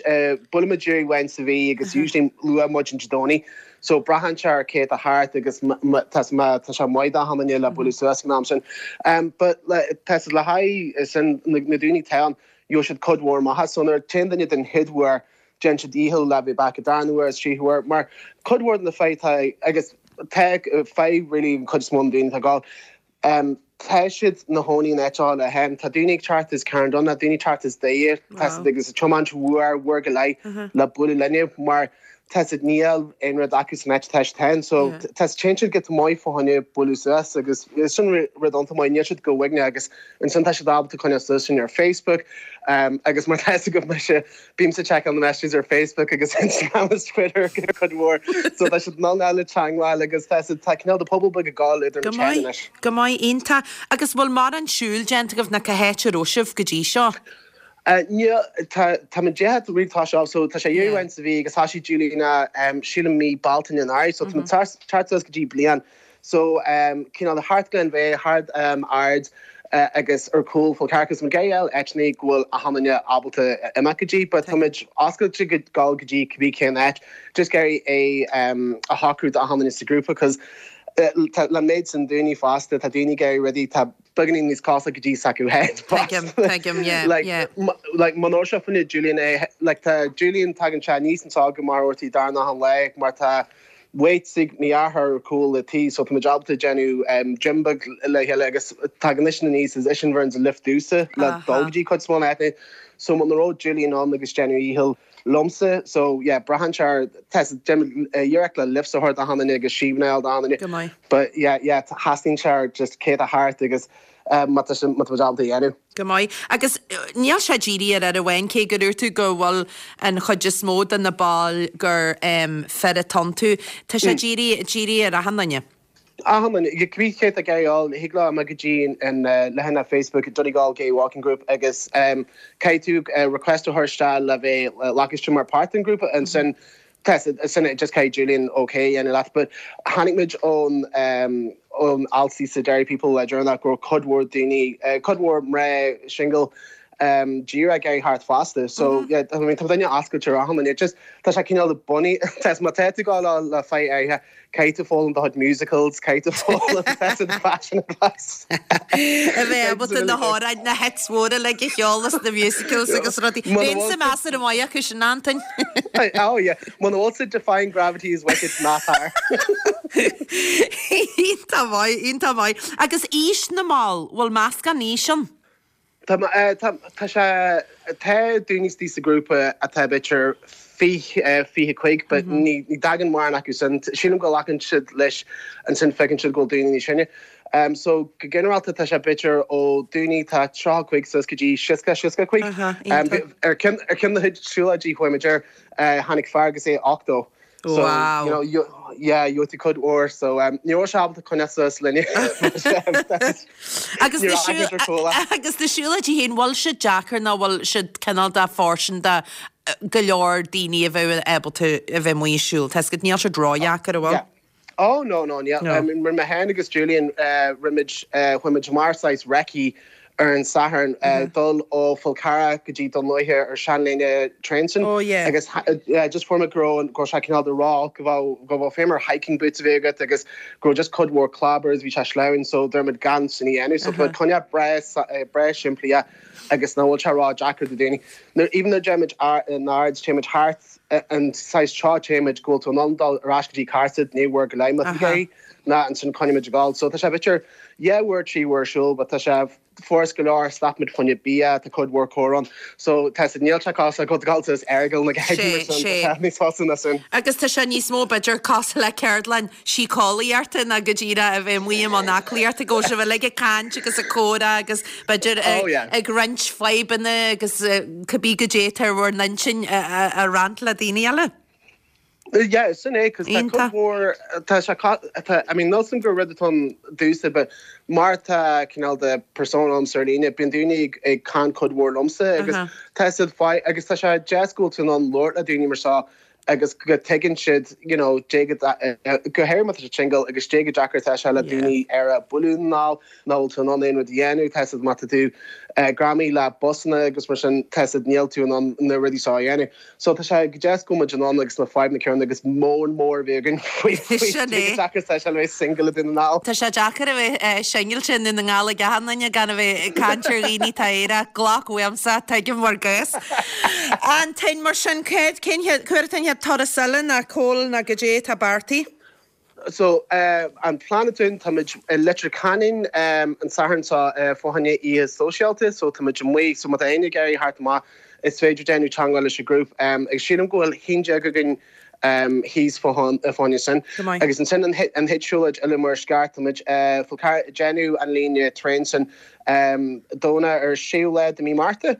buailimid uair amháin sa mhí agus usually luath maidin Dé Domhnaigh so braitheann sé ar cé atá thart agus tá tá sé maith hanne le bualadh suas an am sin. Um, but le tá le haghaidh sin na na daoine atá ann jo siad cuid mhór maith so nuair téann duine den chéad uair déanann siad dícheall le bheith back a darna huair is trí huair mar cuid mhór na fadhb agus tá fadhb really cuid is mó daoine tá gáil. Um, tá siad ina gcónaí in áit le hen tá daoine ag teacht as Carndonagh daoine teacht as Doire tá agus a tiomáint uair uair go leith le bualadh linn mar tá siad níl aon rud acu san áit atá siad féin so tá téann siad go maith fá choinne bualadh suas agus sin rud iontach maith níl siad go uaigneach agus ansin tá siad ábalta coinneáil suas sin ar Facebook um, agus mar tá go mise bímse checkáil na messages ar Facebook agus Instagram agus Twitter go cuid mhór so tá siad ná le teagmháil agus tá siad tá cineál de pobal beag ag gabháil idir Go na maith, teanna. go maith iontach agus bhfuil mórán siúil déanta agaibh nó cá háit a raibh sibh go dtí seo. Uh, ní tá tá mé dehe rí tá sé so tá sé dhéhhain sa bhí agus tá sí Juliana um, sílim mí Bealtaine an so mm -hmm. tá go dtí bliain so um, cineál thart Glen Veigh thart um, Ard uh, agus ar cúl Fál Carrach mar gheall eitní go bhfuil achan duine ábalta imeacht go dtí, but táimid oscailte go gáil go dtí cibé cén áit just ag iarraidh é um, a shocrú achan duine sa grúpa because uh, le méid san daoine fásta tá daoine ag iarraidh rudaí tá beagáinín níos cosúil go dtí s'acu féin Tuigim, tuigim, yeah, like yeah. like man se fanne Julian é like tá Julian tagann sé níos an sá go mar ortaí darna an le mar tá weights ag m'athair cúl le tí so tá ábalta déanamh um, gym beag le chéile agus tagann leis na níos is sin bhern a lift dúsa le Aha. dul go dtí chuid small etne so man ró Julian an agus déanamh íhil liomsa so yeah braitheann sé test dhearach le lift a thart achan duine agus síbnéil achan duine Go maith. but yeah yeah theastaíonn sé just céad a thart agus um, má tá sin- má tá ábalta dhéanamh. Go maith agus uh, níl sé dírithe ar fhir amháin cé go dúirt tú go bhfuil an chuid is mó de na baill gur um, fir atá iontu Tá sé dírithe dírithe ar achan duine. Achan cibé cé a gáil higlá me go dtí an leathanach Facebook Donegal Gay Walking Group agus um, caithfidh tú uh, request a chur le bheith uh, lacas mar part den grúpa ansin sin just caithfidh Julian okay an leat, but tháinig muid ón um, ón alt sa Derry People Ledger nach go cuid mhór daoine uh, cuid mhór mná single um, gira ag thart fosta so mm -hmm. yeah, I mean, tá duine oscailte achan duine just tá sé cineál bunny tes má tá tú le le fé aithe caithfidh foghlaim do musicals caithfidh foghlaim fashion advice. A bheith ábalta na hamhráin na hits mhóra le a cheol na musicals agus rudaí. Bíonn sa measar an mhaith acu sin Antain. oh yeah Muna bhfuil Defying Gravity is wicked ná tar. Iontach maith, iontach maith. Agus aois na mball, bhfuil meascán aoise ann? Tá eh, tá tá sé tá daoine sa grúpa atá b'fhéidir fiche fiche cúig, but ní ní dtagann mórán acu sin sílim go nglacann siad leis ansin feiceann siad go daoine níos sine. Um, so go ginearálta tá sé b'fhéidir ó daoine tá tríocha cúig suas go dtí seasca seasca cúig. Aha, Um, iontach. ar ceann ar ceann na siúlóidí chuidir uh, tháinig fear agus é ochtó. So, Wow. you know, you, yeah, you to cud or so um ní raibh sé ábalta coinneáil linne. Agus Ní na raibh siúl- agat ar cúla. agus na siúlóidí féin bhfuil siad deacair nó bhfuil siad cineál de fóirsteanach do go leor daoine a bheith ábalta a bheith amuigh ag siúl. Tá go níl siad ródheacair a bhfuil? Yeah. Oh no no yeah. No. Um, rinne mé féin agus Julian uh, rinne uh, chuaigh mar saghas recce ar an Satharn uh, dul ó Fál Carrach go dtí Dún Lúiche ar seanlíne traein sin. Oh, yeah. agus ha- uh, just for go go sé cineál de rá go bhfuil go bhfuil fémar hiking boots a bheith agat agus go just cuid mhór clabbers bhí sé sleamhain so dermid gan sin dhéanamh so uh coinne breá breá simplí agus ná bhfuil sé ródheacair do daoine. Nuair even though déimid in Ard téimid thart an saghas trá téimid go bhfuil tú an dul ar ais go dtí cartad ní bhur go leim Aha. ná ansin coinnímid gáil. So tá sé b'fhéidir dhá uair trí uair siúl, but tá sé force go leor stopmuid fá choinne bia tá cuid mhór comhrá. So tá sé níl sé cos go gáil is airgal na Sé, sé. níos fása na sin. Agus tá sé níos mó b'fhéidir cosúil le ceardlann síceolaíochta ná go díreach a bheith amuigh an aclaíochta go se bheith ag caint agus ag comhrá agus b'fhéidir Oh, yeah. ag roinnt fadhbanna agus eh, cibé goidé atá ar bhur n-intinn a a roinnt le daoine eile. Yeah, sin é cos tá Iontach. cuid mhór tá sé ca- tá I mean níl gur rud atá dúsa but mar tá cineál de persona am ar líne bíonn daoine ag ag caint cuid mhór liomsa agus Aha. tá siad fai agus tá sé deas go bhfuil tú in ann labhairt le daoine mar seo agus go tuigeann siad you know dé go go háirithe má tá single agus dé go deacair tá sé le Yeah. daoine ar a buú ná ná tú an aon rud a dhéanamh tá má tú greamaithe le busanna agus mar sin tá níl tú an na rudaí seo a dhéanamh. So tá sé go deas go muid an an agus na fadhbanna céanna agus mór mór bhegan Sin é. deacair tá sé le bheith single Dún na nGall. Tá sé deacair a bheith single i nDún na nGall ag achan duine gan a bheith ag caint ar dhaoine tá éire glac uaimsa tuigim bhur gcás. Antain mar sin céad cén chuir turas eile na cóil na goidé tá beartaithe? So uh, an plean atá tá muid i Leitir Ceanainn um, an Satharn seo uh, fá choinne oíche sóisialta, so tá muid amuigh so má tá éinne ag iarraidh teacht amach is féidir déanamh teagmháil leis an grúpa um, ag sílim go bhfuil haon déag againn thíos fá choinne sin. Agus ansin an chéad siúlóid eile mar is ceart, táimid fá déanamh an líne traein sin Domhnach ar séú lá de mí Márta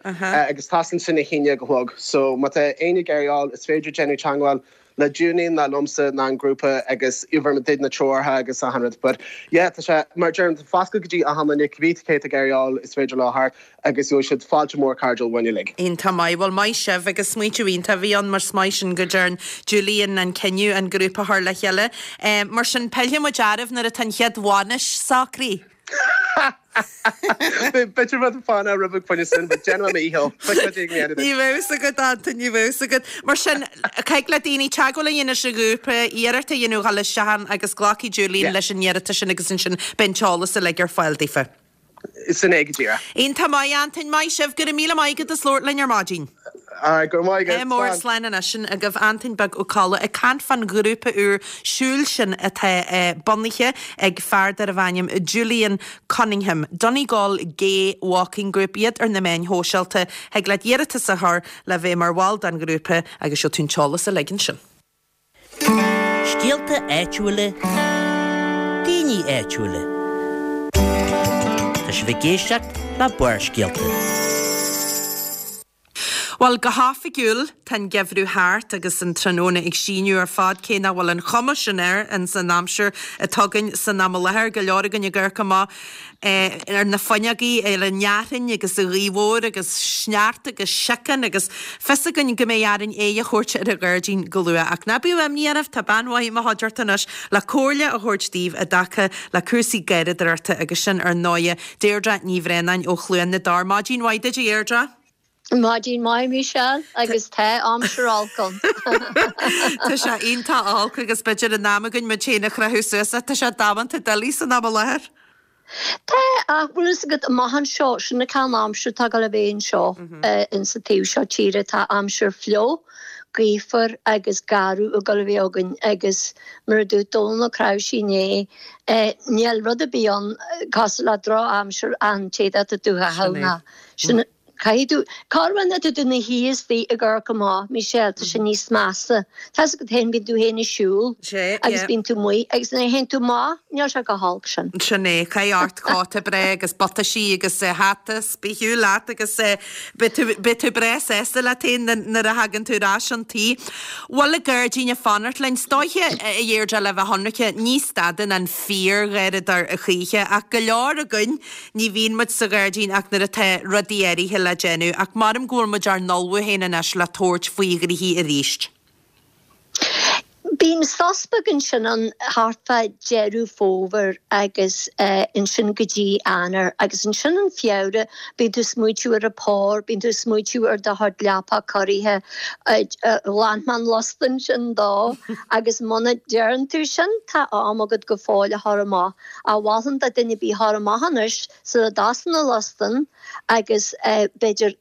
agus tosaíonn sin a haon déag a chlog. So má tá éinne ag iarraidh ghabháil is féidir déanamh teagmháil le Julian ná liomsa ná an grúpa agus tabharfaidh muid na treoracha agus achan rud. But yeah tá sé mar deirim tá foscadh go dtí achan duine cibé cé tá ag iarraidh ghabháil is féidir leo theacht agus gheobhaidh siad fáilte mór cairdiúil uainn uilig. Iontach maith. Bhuel maith sibh agus smaointiú iontach a bhí ann mar is maith sin go dtearn Julian an cinneadh an grúpa a chur le chéile. Mar sin pillfidh muid oraibh nuair atá an chéad bhainis socraithe. B'fhéidir rud fána roimh fá choinne sin, but déanfaidh mé mo dhícheall. Ní bheidh fhios agat Antain, ní bheidh fhios agat. Mar sin, caithfidh le daoine teagmháil a dhéanamh leis an ghrúpa, iarracht a dhéanamh dhul isteach ann agus glacfaidh Julian leis an iarratas sin agus ansin beidh an t-eolas uilig ar fáil daofa. Sin é go díreach. Iontach maith, Antain, maith sibh, go raibh míle maith agat as labhairt linn ar maidin. Alright, go raibh maith agat. Ádh mór, slán anois. Sin agaibh Antain Beag Ó Colla ag caint fán ghrúpa úr siúil sin atá bunaithe ag fear darbh ainm Julian Cunningham. Donegal Gay Walking Group iad ar na meáin shóisialta. Thig leat iarratas a chur le bheith mar bhall den ghrúpa agus gheobhaidh tú an t-eolas uilig ansin. Scéalta áitiúla, daoine áitiúla. Tá sibh ag éisteacht le Barrscéalta. Bhuel, go hoifigiúil, tá an geimhreadh thart agus an tráthnóna ag síneadh ar fad, cé nach bhfuil an chuma sin air ins an aimsir atá againn san am i láthair. Go leor againn ag amharc amach ar na fuinneogaí ar an fhearthainn agus sa ghaoth mhór agus sneachta agus síocán agus fios againn go mbeidh orainn aghaidh a thabhairt ar an ghairdín go luath. Ach ná bíodh imní oraibh, tá bean mhaith i mo chuideachta anois le comhairle a thabhairt daoibh i dtaca le cúrsaí garraíodóireachta agus sin ar ndóighe Deirdre Ní Bhraonáin ó Chluain na dTor. Maidin mhaith duit a Dheirdre. Maidin mhaith Michelle agus tá aimsir olc ann. Tá sé iontach olc agus b'fhéidir in am againn muid féin a chroitheadh suas ach tá sé damanta doiligh san am i láthair. Tá, ach bhfuil fhios agat amach anseo, sin an cineál aimsir atá ag dul a bheith anseo in sa taobh seo tíre, tá aimsir fliuch, gaofar agus garbh ag dul a bheith againn agus mar a dúirt Dónal Ó Cnáimhsí inné, níl rud ar bith ann cosúil le drochaimsir an t-éadach atá tú a chaitheamh ná sin Caithfidh tú, corruair nuair atá tú ina shuí istigh ag amharc amach, Michelle, tá sé níos measa. Tá fhios agat féin, bíonn tú féin ag siúl agus bíonn tú amuigh agus nuair a théann tú amach, níl sé chomh holc sin. Sin é, caith ort cóta breá agus buataisí agus hata, is bí ar shiúl leat agus beidh tú, beidh tú breá sásta leat féin nuair a thagann tú ar ais chun tí. Bhfuil an gairdín ag fanacht linn? Is dóiche, a Dheirdre, le bheith ionraice, ní stadann an fíorgharraíodóir a choíche ach go leor againn, Ní bhíonn muid sa ghairdín ach nuair atá rudaí áirithe le déanamh, ach maram go bhfuil muid ár n-ullmhú féin anois le tabhairt faoi ghnoithí arís. Bíonn sos beag ansin ann thart fá Deireadh Fómhair agus ansin go dtí Eanáir agus ansin in Feabhra bíonn tú ag smaoitiú ar an pár, bíonn tú ag smaoitiú ar do chuid leapacha cóirithe, ghlan mé an liosta ansin dó agus muna deireann tú sin tá am agat go fóill a chur amach. Ach mholfainn do duine ar bith a chur amach anois sula dtosaíonn na lustainn agus b'fhéidir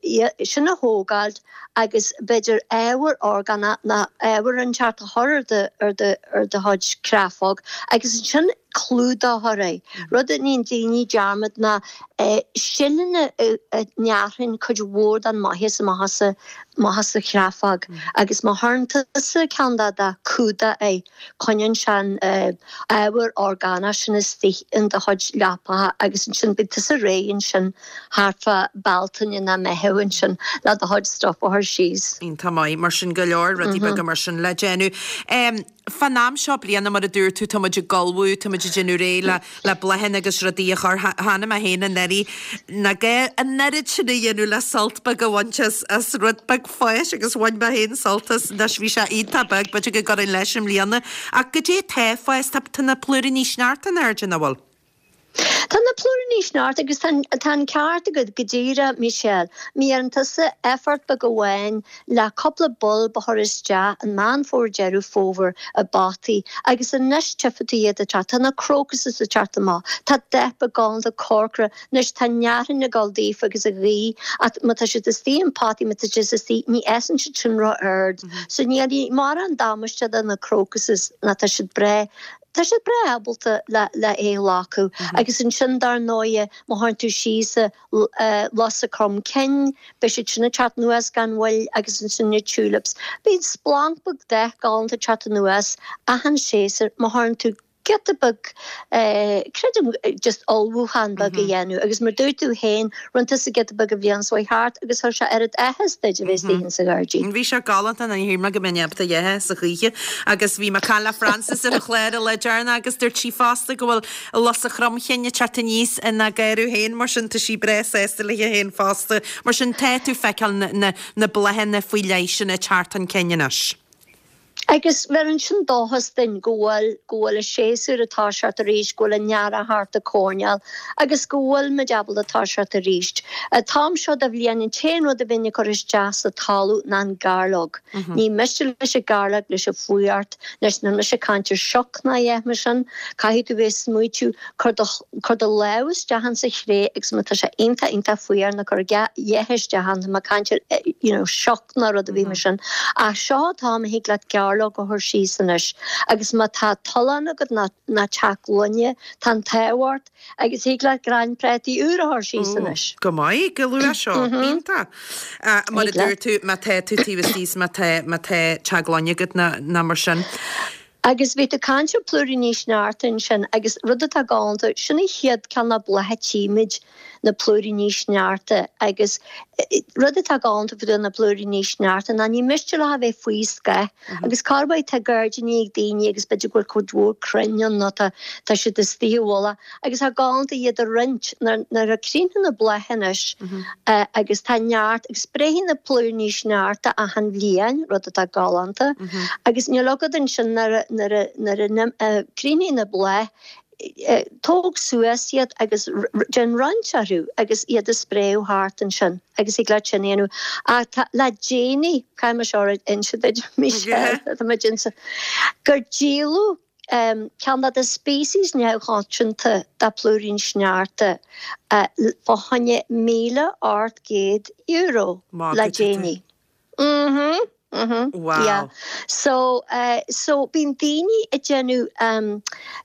sin a thógáilt agus b'fhéidir ábhar orgánach nó ábhar inteacht a chur ar do ar do ar do chuid créafóg agus ansin clúdach a chur air. Rud a níonn daoine dearmad ná sileanna a ndearthainn cuid mhór den maitheas amach as amach as an chreafóg agus má chuireann tusa ceann de do cumhdach air, coinníonn sé an ábhar orgánach sin istigh in do chuid leapacha agus ansin beidh tusa réidh ansin thart fá Bealtaine nó Meitheamh ansin le do chuid stuff a chur síos. Iontach maith, mar sin go leor rudaí beaga mar sin le déanamh. Fán am seo bliana, mar a dúirt tú, tá muid ag ullmhú, tá muid ag déanamh réidh le le bláthanna agus rudaí a chur. Chonaic mé féin anuraidh nach gá an oiread sin a dhéanamh le sult beag a bhaint as as rud beag fáis agus bhain mé féin sult as. Anois bhí sé iontach beag, b'fhéidir go gcuirfinn leis i mbliana. Ach goidé tá ag fás, tá tá na plúiríní sneachta in airde, nach bhfuil? Tá na plúiríní sneachta agus tá tá an ceart agat go díreach, Michelle. Má dhéanann tusa effort beag amháin le cúpla bulb a chur isteach in Meán Fómhair Deireadh Fómhair i bpotaí agus anois tchífidh tú iad ag teacht. Tá na crocuses ag teacht amach. Tá dath beag galánta corcra. Anois tá an fhearthainn ag dul daofa agus an ghaoth ach má tá siad istigh in potaí má tá siad istigh ní fhásann siad sin ró-ard. So ní dhéanfaidh mórán damáiste do na crocuses ná tá siad breá tá siad breá ábalta le le é a ghlacadh. Agus ansin dar ndóighe má chuireann tú síos lusa crom cinn, beidh siad sin ag teacht anuas gan mhoill agus ansin na tulips. Bíonn splanc beag dath galánta ag teacht anuas achan séasúr má chuireann tú giota beag, creidim, just ullmhúchán beag a dhéanamh agus mar dúirt tú féin, rinne tusa giota beag an bhliain seo thart agus chuir sé oiread áthas duit a bheith istigh insa ghairdín. Bhí sé galánta ní shíl mé go mbeinn ábalta a dh'ithe sa choíche agus bhí mé ag caint le Frances ar an chlár an lá deireanach agus dúirt sí fosta go bhfuil lus an chromchinn ag teacht aníos ina garradh féin mar sin tá sí breá sásta léi féin fosta. Mar sin tá tú ag feiceáil na na bláthanna faoi leith sin ag teacht chun cinn anois. Agus bheireann sin dóchas duinn go bhfuil, go bhfuil an séasúr ag toiseacht arís, go bhfuil an t-earrach thart an coirnéal agus go bhfuil muid ábalta toiseacht arís. An t-am seo de bhliain an t-aon rud a bheinn ag cur isteach sa talamh ná an gairleog. Ní miste leis an gairleog, leis an fuacht, leis níl mise ag caint ar sioc ná a dhath mar sin, caithfidh tú bheith ag smaoitiú, cuir do, cuir do lámh isteach insa chré agus má tá sé iontach, iontach fuar ná cuir a dhath isteach ann, tá mé ag caint ar, you know, sioc ná rud ar bith mar sin. Ach seo an t-am a thig leat gairleog a chur síos anois agus má tá tollán agat ná teach gloine, tá an t-ádh ort agus thig leat crann prátaí úr a chur síos anois. Go maith, go luath seo. Iontach. Mar a dúirt tú, má tá tú taobh istigh má tá má tá teach gloine agat ná mar sin. Agus bhí tú ag caint ar plúiríní sneachta ansin agus rud atá galánta, sin an chéad ceann de blátha a tchímid, na plúiríní sneachta agus rud atá galánta fá dtaobh na plúiríní sneachta ná ní miste leo a bheith faoi scáth agus corruair tá gairdíní ag daoine agus b'fhéidir go bhfuil cuid mhór crainn ann nó tá tá siad istigh i bhfolach agus tá galánta iad a roinnt nuair nuair a críochnaíonn na blátha anois agus tá neart agus spréifidh na plúiríní sneachta achan bhliain, rud atá galánta, agus níl agat ansin nuair a nuair a nuair a críochnaíonn na bláth, tóg suas iad agus déan roinnt orthu agus iad a spréadh thart ansin agus thig leat sin a dhéanamh. Ach tá, le déanaí, caithfidh mé seo a inse duit, Michelle, tá muid insa, gur díoladh ceann de na species neamhchoitianta de plúirín sneachta fá choinne míle ocht gcéad euro le déanaí. Mhm, mhm. Wow. Yeah. So, so bíonn daoine ag déanamh,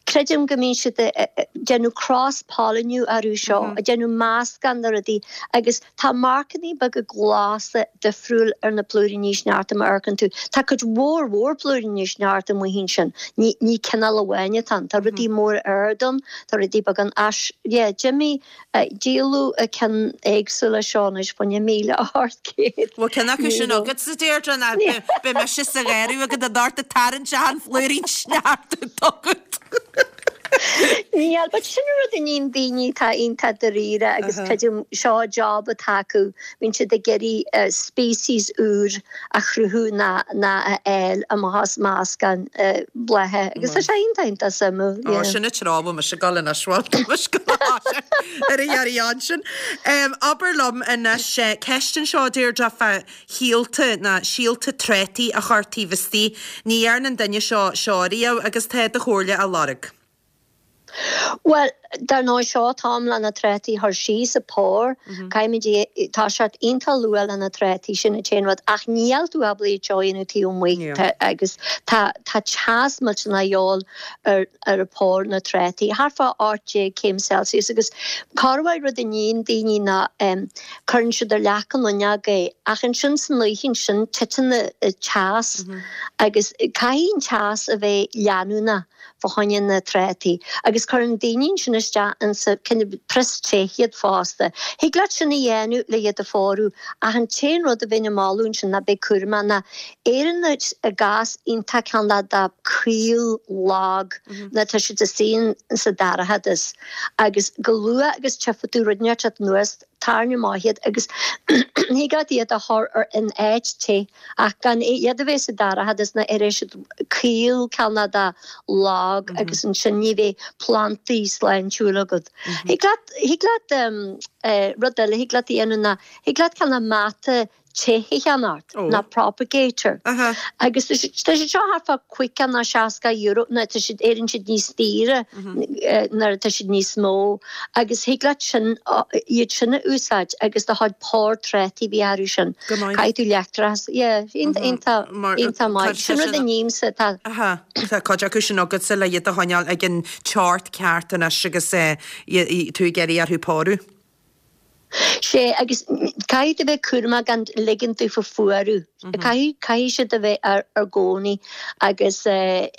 creidim go mbíonn siad ag déanamh cross-polliniú orthu seo, ag déanamh meascán de rudaí agus tá marcannaí beaga glasa difriúil ar na plúiríní sneachta má amharcann tú. Tá cuid mhór mhór plúiríní sneachta amuigh ansin. Ní, ní cineál amháin atá ann. Tá rudaí mór ard ann, tá rudaí beaga ann. Ach, yeah, d'imigh, díoladh cinn éagsúla seo anois fá choinne míle ocht gcéad Bhfuil ceann acu sin euro. agatsa, Deirdre, ná beidh mise sa gharradh agat anocht ag tarraingt an phlúirín sneachta agat. Níl, but sin an rud a níonn daoine atá iontach dáiríre agus creidim seo job atá acu, bíonn siad ag iarraidh species úr a chruthú ná ná a fháil amach as meascán blátha agus tá sé iontach iontach suimiúil, Ó, yeah. sin an treo a bhfuil mise ag dul anois, bhuel, tá mise ag dul ar a iarraidh ansin. Abair liom anois, ceist anseo, Deirdre, fá shíolta ná síolta trátaí a chur taobh istigh. Ní dhearna an duine seo seo riamh agus tá do chomhairle á lorg. Bhuel, dar ndóigh seo an t-am le na trátaí a chur síos sa phár. Caithfimid toiseacht iontach luath le na trátaí sin an t-aon rud ach níl tú ábalta iad seo a dhéanamh taobh amuigh agus tá tá teas millteanach a dhíobháil ar ar an phár na trátaí, thart fá ocht déag céim Celsius agus corruair rud a níonn daoine ná cuireann siad ar leac an fhuinneog é ach ansin san oíche ansin titeann an teas agus caithfidh an teas a bheith leanúnach fá choinne na trátaí agus cuireann daoine ansin isteach insa kind of prios te iad fosta. Thig leat sin a dhéanamh le iad a phórú ach an t-aon rud a bheinn ag moladh ansin ná bheith cúramach ná éiríonn a gcás iontach cineál de caol lag nuair atá siad istigh insa dorchadas agus chomh luath agus tchífidh tú rud inteacht ag teacht anuas tarraing amach iad agus thig leat iad a chur ar in áit te ach gan iad a bheith sa dorchadas nó éireoidh siad caol cineál de lag agus ansin ní bheidh plantaí sláintiúil agat. Thig leat thig leat Rud eile thig leat a dhéanamh ná thig leat cineál mata te a cheannacht nó propagator. Agus tá siad seo thart fá caoga nó seasca euro nó tá siad éiríonn siad níos daoire nuair atá siad níos mó agus thig leat sin iad sin a úsáid agus do chuid pár trátaí bhí orthu sin. Caithfidh tú leictreachas, yeah, iontach iontach maith. Sin rud a nímse tá. Tá cuid acu sin agatsa le iad a choinneáil ag an teocht ceart anois agus tú ag iarraidh orthu pórú. Sé, agus caithfidh tú bheith cúramach gan ligean daofa fuarú. Caithfidh, caithfidh siad a bheith ar, ar gcónaí agus le,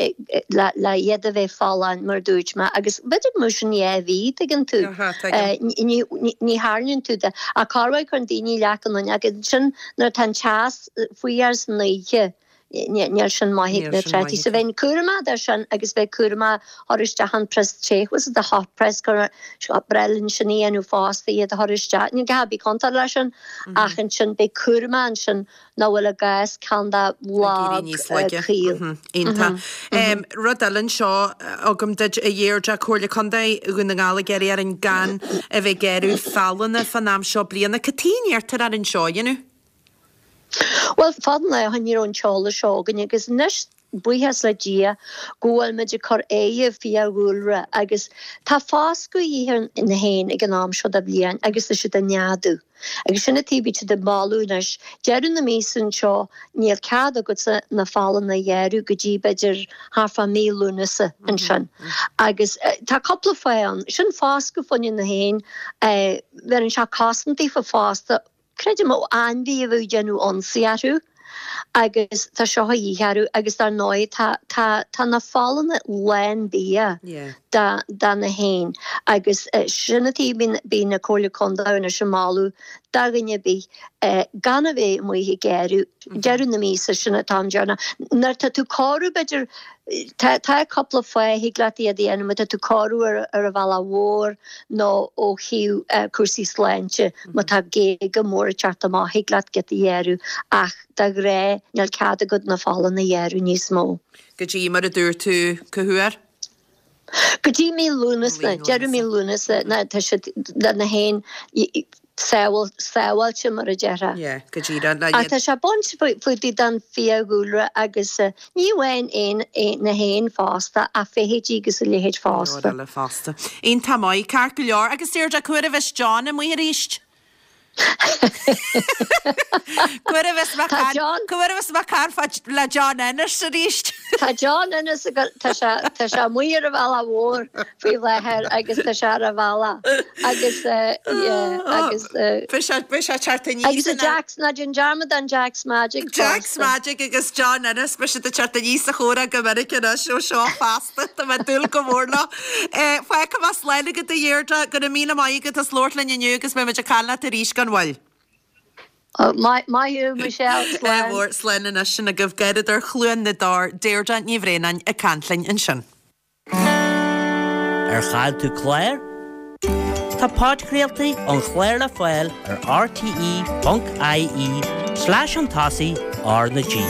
le iad a bheith folláin mar a dúirt mé. Agus b'fhéidir go mbeadh sin dhá mhí, tuigeann tú. Aha, tuigim. Ní, ní, ní tharlaíonn tú de. Ach corruair cuireann daoine leac an fhuinneog agus ansin nuair atá an teas faoi air san oíche, Níl sin maith ag na trátaí. So bheinn cúramach de sin agus bheith cúramach chur isteach an prios te, was it the hot press gur breá linn sin a dhéanamh fosta iad a chur isteach. Ní gá bheith contúirteach leis sin ach ansin beidh cúramach ansin nach bhfuil a gcás ceann de lag caol. Iontach. Rud eile anseo agam duit a Dheirdre, Comhairle Contae Dhún na nGall ag iarraidh orainn gan a bheith ag gearradh fealanna fán am seo bliana. Cad chuige a n-iarrtar orainn seo a dhéanamh? Bhuel, fad an lá ó shin ní raibh an t-eolas seo againn agus anois, buíochas le Dia, go bhfuil muid ag cur aghaidh ar fiadhúlra agus tá foscadh a dhíth ar na héin ag an am seo de bhliain agus tá siad ag neadú. Agus sin an tuige bíonn siad ag bailiú anois. Deireadh na míosa anseo níl cead agatsa na fealanna a ghearradh go dtí b'fhéidir thart fá mí Lúnasa ansin. Agus tá cúpla fáth ann. Sin foscadh fá choinne na héin, bheireann sé cosaint daofa fosta. Creidim ó ainmhí a bheadh ag déanamh ionsaí orthu agus tá seo a dhíth orthu agus dar ndóigh tá tá tá na fealanna lán bia do do na héin agus sin an tuige bíonn bíonn na Comhairle Contae anois ag moladh do dhuine ar bith gan a bheith amuigh ag gearradh deireadh na míosa sin an t-am deireanach. Nuair atá tú ag cóiriú b'fhéidir Tá tá cúpla fáth thig leat iad a dhéanamh má tá tú ag cóiriú ar ar an bhealach mhór nó ó thaobh cúrsaí sláinte má tá géaga móra ag teacht amach thig leat giota a ghearradh ach de ghnáth níl cead agat na fealanna a ghearradh níos mó. Go dtí mar a dúirt tú cá huair? Go dtí mí Lúnasa, deireadh mí Lúnasa ná tá siad na héin sábháilte mar a déarfá. Yeah, go díreach. Le Ach tá sé ag baint faoi don fiadhúlra agus ní amháin éin, na héin fosta ach feithidí agus a leithéid fosta. Leor eile fosta. Iontach maith, ceart go leor. Agus Deirdre, cá huair a bheas John amuigh arís? Cá huair a bheas mé Tá John. Cá huair a bheas mé ag caint le John Ennis arís? Tá John Ennis ag tá sé tá sé amuigh ar an bhealach mhór faoi láthair agus tá sé ar an bhealach agus yeah agus Beidh sé beidh sé teacht aníos agus ina Jack's ná déan dearmad an Jack's Magic Jack's fosta. Magic agus John Ennis beidh siad ag teacht aníos sa chomhrá go minic anois ó seo feasta tá mé ag dúil go mór leo. Fágfaidh mé slán agat a Dheirdre, go raibh míle maith agat as labhairt linn inniu agus beidh muid ag caint leat arís gan mhoill. Maith thú, Michelle. Slán. Mhór, slán anois sin agaibh Garradóir Chluain na dTor, Deirdre Ní Bhraonáin ag caint linn ansin. Ar chaill tú clár? Tá podchraoltaí an chláir le fáil ar rte ponc ie slash an tosaigh R na G.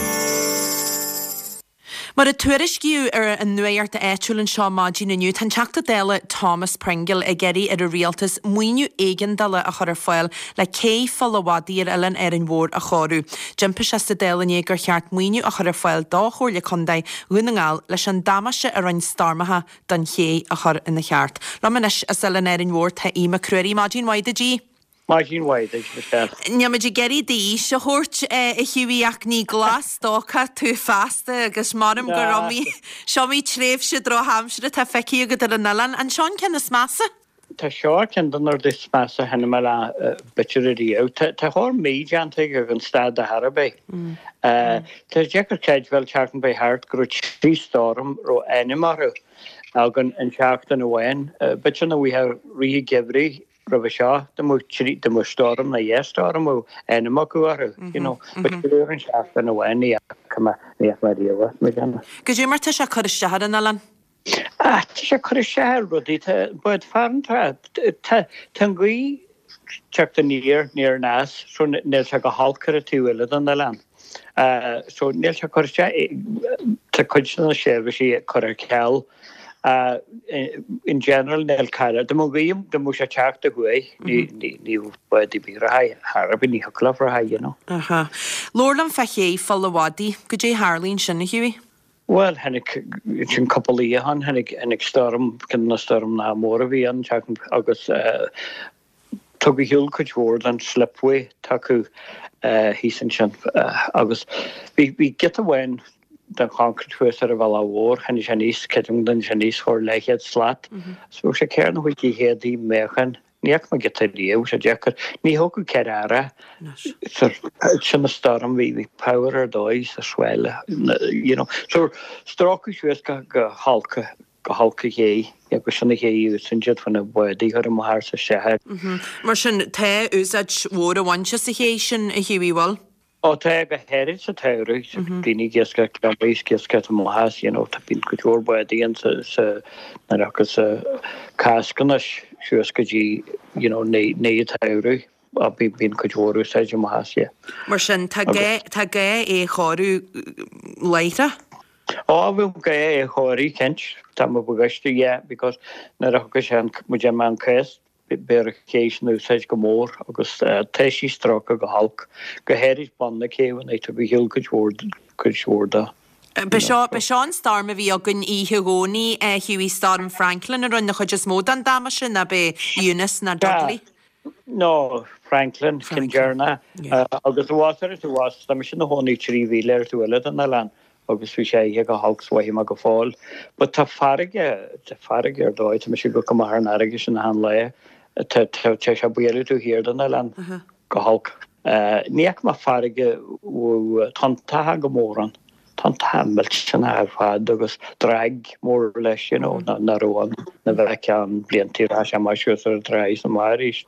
Mar a tuairiscíodh ar an nuacht áitiúil anseo maidin inniu, tá an Teachta Dála Thomas Pringle ag iarraidh ar an Rialtas maoiniú éigeandála a chur ar fáil le cé Pholl a' Mhadaidh ar Oileán Árainn Mhór a chóiriú. D'impigh sé sa Dáil inné gur cheart maoiniú a chur ar fáil do Chomhairle Contae Dhún na nGall leis an damáiste a rinne stoirmeacha don ché a chur ina cheart. Liom anois as Oileán Árainn Mhór tá Aodh Mac Ruairí. Maidin mhaith duit, a Aoidh. Maidin mhaith duit, Michelle. Níl muid ag iarraidh d'aois a thabhairt, a Hughie, ach ní glas-stócach tú feasta agus m'anam gur iomaí, seo iomaí tréimhse drochaimsire atá feicthe agat ar an oileán. An seo an ceann is measa? Tá seo ar cheann de na rudaí is measa a chonaic mé le b'fhéidir ariamh. Tá tá chóir mí déanta ag an staid ar chor ar bith. Tá sé deacair creidbheáil tseachtain faoi thart go raibh trí storm raibh ainm orthu againn in seachtain amháin. B'fhéidir nach bhfuil rith an gheimhridh roimhe seo, dá mbeadh trí, dá mbeadh storm nó dhá storm a raibh ainm acu orthu, you know. But triúr in seachtain amháin, ní fhaca mé, ní fhaca mé riamh é, mo dhéanamh. Goidé mar tá sé ag cur isteach ar an oileán? Ah, tá sé ag cur isteach ar rudaí, tá bád farantóireachta, tá, tá an ghaoth ag teacht aniar, ní aneas, so níl sé go holc ar an taobh eile den oileán. So níl sé ag cur isteach, tá cuid de na seirbhísí curtha ar ceal. In general níl cara de mo ghaoim de mo sé teacht a thuaidh ní ní bhfuil bí ra thar ní thiocfadh ra you know. Aha. Labhair liom fá ché Pholl a' Mhadaidh, goidé a tharlaigh ansin a Hughie? Bhuel tháinig sin cúpla oíche ó shin tháinig tháinig stoirm ceann de na stoirmeanna móra a bhí ann agus tugadh ar shiúl cuid mhór den slipway atá acu thíos ansin agus bhí bhí giota amháin den choncrete thuas ar an bhealach mhór, tháinig sé aníos, creidim tháinig sé aníos chóir leathchéad slat. So bheadh sé ceithre nó chúig chéad méachan, ní fhaca mé giota riamh, bhí sé deacair, ní thógfadh ceithre fhear é. Sin an stoirm, bhí bhí power ar dóigh sa swell, you know. So stróiceadh suas go go holc go holc an ché agus sin an ché a úsáideann siad chun na bádaí a chur amach is isteach air. Mar sin, tá úsáid mhór á bhaint as an ché sin, a Hughie, bhfuil? Ó tá, go háirid sa tsamhradh, daoine ag iascaireacht gliomaigh is ag iascaireacht amach as, you know, tá bíonn cuid mhór bádaí ann sa, sa, nuair a thiocfas Cásc anois suas go dtí, you know, naoi, naoi an tsamhraidh, á bíonn, bíonn cuid mhór úsáid amach as, yeah. Mar sin, tá gá, tá gá é a chóiriú láithreach? Ó, bheadh gá é a chóiriú, cinnte, tá mo bhagaiste, yeah, because nuair a thiocfas sé an, muid ar an Cásc, Beidh an ché sin in úsáid go mór agus tá sí stróicthe go holc, go háirid bun na céibhe, nuair a tugadh ar shiúl cuid mhór, cuid mhór de. B'é seo, b'é seo an stoirm a bhí againn oíche Dhomhnaigh, a Hughie, Stoirm Franklin a rinne an chuid is mó den damáiste, ná b'é Eunice ná Dudley? No, Franklin, ceann deireanach. Agus abhus ar an abhus, tá mise ina chónaí trí mhíle ar taobh eile den oileán. agus bhí sé oíche go holc 's mhothaigh mé go fóill. But tá farraige, tá farraige ar dóigh, tá mise ag gabháil amach ar an fharraige sin achan lá, tá, tá, tá sé ag bualadh taobh thiar den oileán go holc. Ní fhaca mé farraige tonntacha go mór ann, tonntacha millteanach ar fad agus drag mór leis, you know, nach raibh ann, na bheith ann blianta, rachaidh sé amach suas ar an trá is amach arís.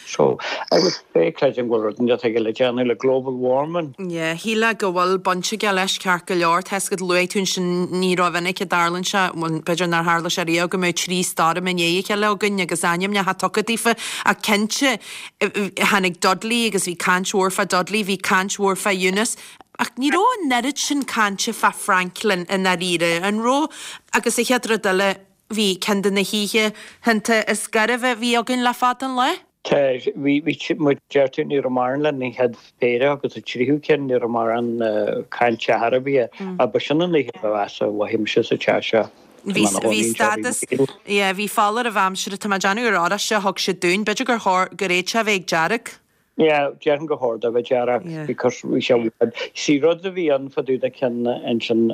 So, agus pé creidim go bhfuil rud inteacht aige le déanamh le global warming. Yeah, shílfeá go bhfuil baint aige leis ceart go leor. Tá 'fhios agat luaigh tú ansin ní rómhinic a dtarlaíonn sé, bhuel b'fhéidir nár tharla sé riamh go mbeadh trí stoirm i ndiaidh a chéile againn agus ainmneacha tugtha daofa ach cinnte tháinig Dudley agus bhí caint mhór fá Dudley, bhí caint mhór fá Eunice ach ní raibh an oiread sin cainte fá Franklin i ndáiríre, an raibh? Agus an chéad rud eile, bhí ceann de na hoíche thanta is gairbhe a bhí againn le fada an lá. Tá, bhí, bhí, mar a deir tú, ní raibh mórán le an chéad phéire agus an tríú ceann, ní raibh mórán cainte ar bith air. Ach ba sin an oíche ba mheasa a mhothaigh mise sa teach seo. Bhí, bhí stádas, yeah, bhí foláireamh aimsire, tá mé ag déanamh gur oráiste a thug siad dúinn, b'fhéidir gur chóir, gur fhéad sé a bheith ag dearg. Yeah, déarfainn gur chóir dó a bheith dearg because bhí sé i bhfad. See, rud a bhí ann fá dtaobh de ceann ansin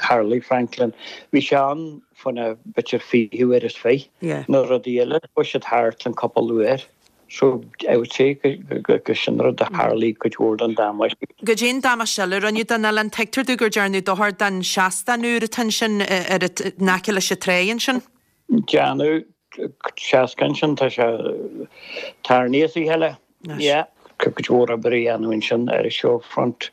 tharlaigh Franklin, bhí sé ann fá na b'fhéidir fiche uair is fiche. Na rudaí eile, chuaigh siad thart an cúpla uair. So, I would say go go sin rud a tharlaigh cuid mhór den damáiste. Goidé an damáiste eile a rinneadh don oileán, tuigtear domh gur dearnadh dochar don seastán úr atá ansin ar in aice leis an tráigh ansin. Déanadh seastán sin, tá sé tarraingthe as a chéile. Yeah. Cuid mhór obair a dhéanamh ansin ar an shorefront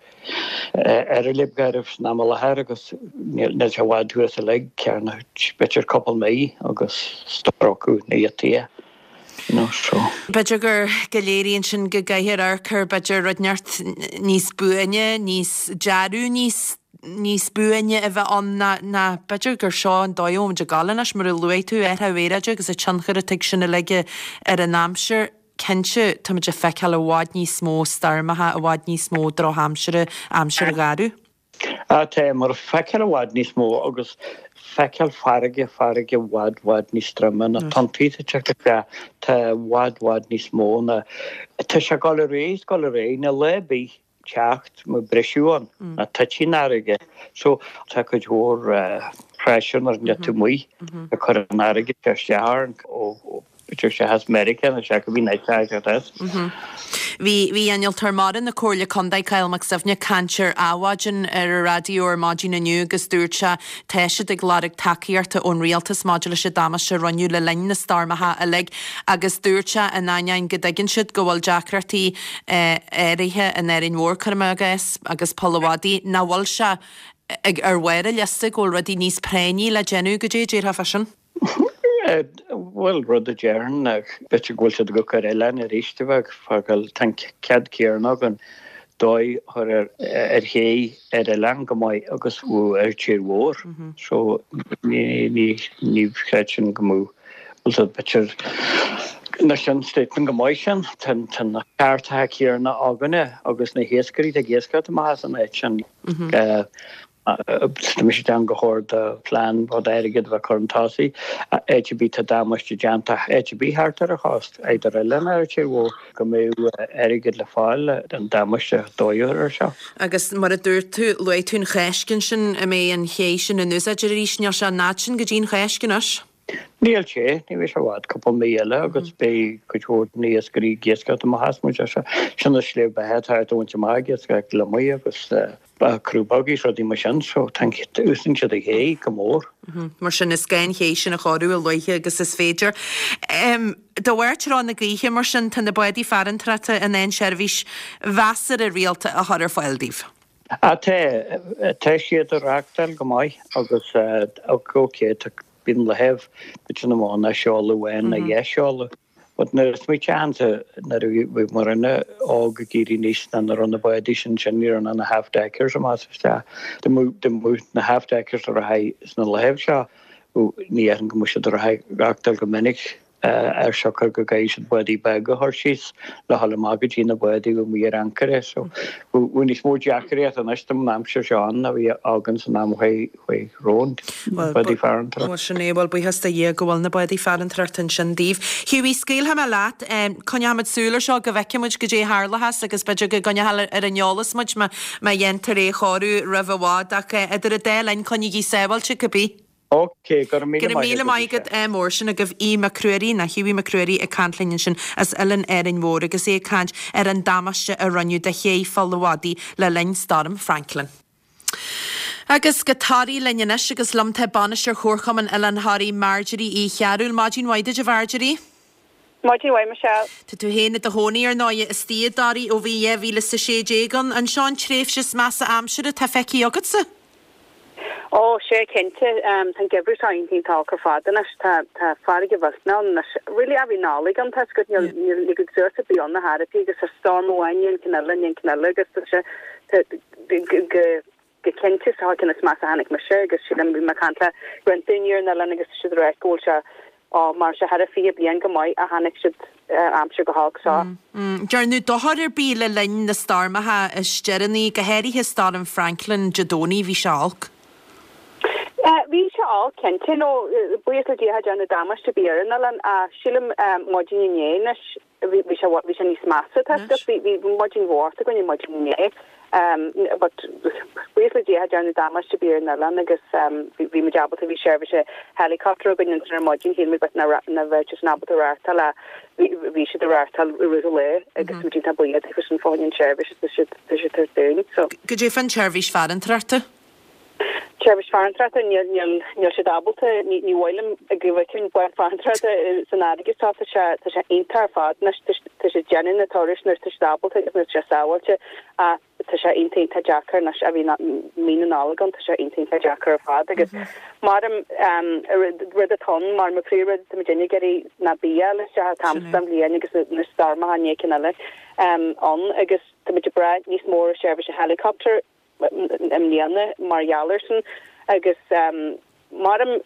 ar an Lib Ghairbh san am i láthair agus níl sé i bhfad thuas uilig, cearna b'fhéidir cúpla mí agus stróiceadh na giotaí you know so. B'fhéidir gur go léiríonn sin go gcaithfear amharc ar b'fhéidir rud inteacht níos buaine, níos dearadh níos níos buaine a bheith ann ná ná b'fhéidir gur seo an dóigh a bhfuil muid ag gabháil anois mar a luaigh tú, athrú aeráide agus an tionchar atá ag sin uilig ar an aimsir. Cinnte, táimid ag feiceáil i bhfad níos mó stoirmeacha, i bhfad níos mó drochaimsire, aimsir gharbh. Á, tá, mar feiceáil i bhfad níos mó agus feiceáil farraige, farraige i bhfad, bhfad níos troime, na tonntaí atá ag teacht isteach, tá i bhfad, bhfad níos mó ná, tá sé ag dul ar aghaidh, is ag dul ar aghaidh, níl lá ar bith teacht mar briseadh ann, ná titfidh an fharraige. So, tá cuid mhór pressure nuair a bhíonn tú amuigh ag cur an fharraige isteach orainn ó b'fhéidir sé as Meiriceá nó sé go bhí night teacht as. Bhí bhí Innealtóir Mara na Comhairle Contae Cathal Mac Suibhne ag caint ar Adhmhaidin ar an raidió ar maidin inniu agus dúirt sé tá siad ag lorg tacaíochta ón rialtas maidir leis an damáiste a rinneadh le linn na stoirmeacha uilig agus dúirt sé in ainneoin go dtuigeann siad go bhfuil deacrachtaí áirithe in Árainn Mhór, cuirim i gcás, agus Poll a' Mhadaidh, nach bhfuil sé ag ar bharr a liosta go bhfuil rudaí níos práinní le déanamh, goidé a déarfá fá sin? Bhuel, rud a déarfainn ná b'fhéidir go bhfuil siad ag cur oileán arís a bheadh fágáil, tá an cead céanna againn dóigh a chur ar ar ché ar oileán go maith agus ar tír mhór. So ní ní ní chreidfinn go mbeadh bhfuil b'fhéidir na sin statement go maith sin tá tá na cearta céanna againne agus na hiascairí ag iascaireacht amach as an áit sin. Tá mise ag déanamh gur chóir do plean rud airgead a bheith curtha chun tosaigh, áit ar bith tá damáiste déanta, áit ar bith thart ar an chósta, idir oileán ar tír mhór, go mbeadh airgead le fáil don damáiste dóigh air seo. Agus mar a dúirt tú, luaigh tú an Cháisc ansin, an mbeidh an ché sin in úsáid arís, níl sé an fhad sin go dtí an Cháisc anois. Níl sé, ní bheidh sé i bhfad, cúpla mí eile agus beidh cuid mhór de na hiascairí ag iascaireacht amach as muid seo. Sin an slí beatha atá ag baint amach ag iascaireacht gliomaigh agus crúbóga is rudaí mar sin so úsáideann siad an ché go mór. Mar sin is gá an ché sin a chóiriú a luaithe agus is féidir. De bharr treo na gaoithe mar sin tá na bádaí farantóireachta in ann seirbhís mheasartha rialta a chur ar fáil daoibh. Tá, tá siad ag reáchtáil go maith agus ok tá bíonn le thaobh bit sin amháin ná seoladh amháin ná dhá sheoladh. But nuair a smaoitíonn tú nuair a bhí muidne óg ag éirí aníos ná nuair a raibh na bádaí sin sin ní raibh na half deckers amach is isteach. Dá mbeadh na half deckers ar aghaidh sna laethibh seo ní dhéarfainn go mbeadh siad ar aghaidh reáchtáil go minic. ar siocair go gcaithfidh siad bádaí beaga a chur síos le dhul amach go dtí na bádaí a bhí amuigh ar ancaire. So bhí níos mó deacraíocht anois don aimsir seo ann ná bhí againn san am chuaigh chuaigh romhainn, bádaí farantóireachta. Bhuel sin é, bhuel buíochas do Dhia go bhfuil na bádaí farantóireachta ansin daoibh. Hughie, scaoilfidh mé leat, coinneoidh muid súil ar seo go bhfeicfidh muid goidé a tharlóchas agus b'fhéidir go gcoinneofar ar an eolas muid má má dhéantar é a chóiriú roimh i bhfad ach idir an dá linn coinnígí sábháilte cibé. Ok, go raibh míle Go raibh maith míle agat, maith agat, ádh mór sin agaibh Aodh Mac Ruairí, nó Hughie Mac Ruairí ag caint linn ansin as Oileán Árainn Mhór agus é ag caint ar an damáiste a rinneadh do ché Pholl a' Mhadaidh le linn Stoirm Franklin. Agus go Toraigh linn anois agus liom tá Bainisteoir Chomharchumann Oileán Thoraí, Marjorie Uí Chearúil. Maidin mhaith duit a Mharjorie. Maidin mhaith, Michelle. Tá tú féin i do chónaí ar ndóigh istigh i dToraigh ó bhí dhá mhíle is a sé déag ann. An seo an tréimhse is measa aimsire atá feicthe agatsa? Ó, sea, cinnte. Tá an geimhreadh seo iontach iontach olc ar fad anois. Tá tá farraige mhillteanach ann anois. Really ó bhí Nollaig ann, tá 'fhios agat, níl níl níl cuid suas ar bith ann ar chor ar bith agus tá storm amháin i ndiaidh an cinn eile i ndiaidh an cinn eile agus tá sé tá go go go cinnte is an ceann is measa a chonaic mise agus sílim bhí mé ag caint le roinnt daoine ar an oileán agus tá siad ag ráit go bhfuil sé Ó, mar sé thar a fiche bliain go maith a chonaic siad aimsir chomh holc seo. Dearnadh dochar ar bith le linn na stoirmeacha is deireanaí, go háirithe Stoirm Franklin Dé Domhnaigh, bhí sé olc. Bhí sé olc, cinnte, nó buíochas le Dia cha dearnadh damáiste ar bith ar an oileán ach sílim maidin inné anois bhí sé bhí sé níos measa, tá 'fhios agat, bhí bhí maidin bhocht againn maidin inné. But buíochas le Dia cha dearnadh damáiste ar bith ar an oileán agus bhí muid ábalta, bhí seirbhís helicopter againn ansin ar maidin, shíl muid but nach raibh siad ábalta reáchtáil ach bhí siad ag reáchtáil i rith an lae agus muid iontach buíoch daofa sin fá choinne an tseirbhís tá siad tá siad tabhairt dúinn. So. Goidé fán tseirbhís farantóireachta? Seirbhís farantóireachta, níl níl níl siad ábalta, ní ní mhaith liom go bhfeicfinn bád farantóireachta san fharraige seo, tá sé tá sé iontach ar fad anois, tá tá siad déanamh na turais nuair tá siad ábalta agus nuair tá sé sábháilte ach tá sé iontach iontach deacair anois a bhí mí na Nollag ann, tá sé iontach iontach deacair ar fad agus maram rud atá ann mar mo príomhrud atá muid ag iarraidh ná bia a fháil isteach an t-am seo den bhliain agus na stoirmeacha i ndiaidh cinn eile ann agus tá muid ag brath níos mó ar seirbhís helicopter i mbliana mar gheall air sin agus maram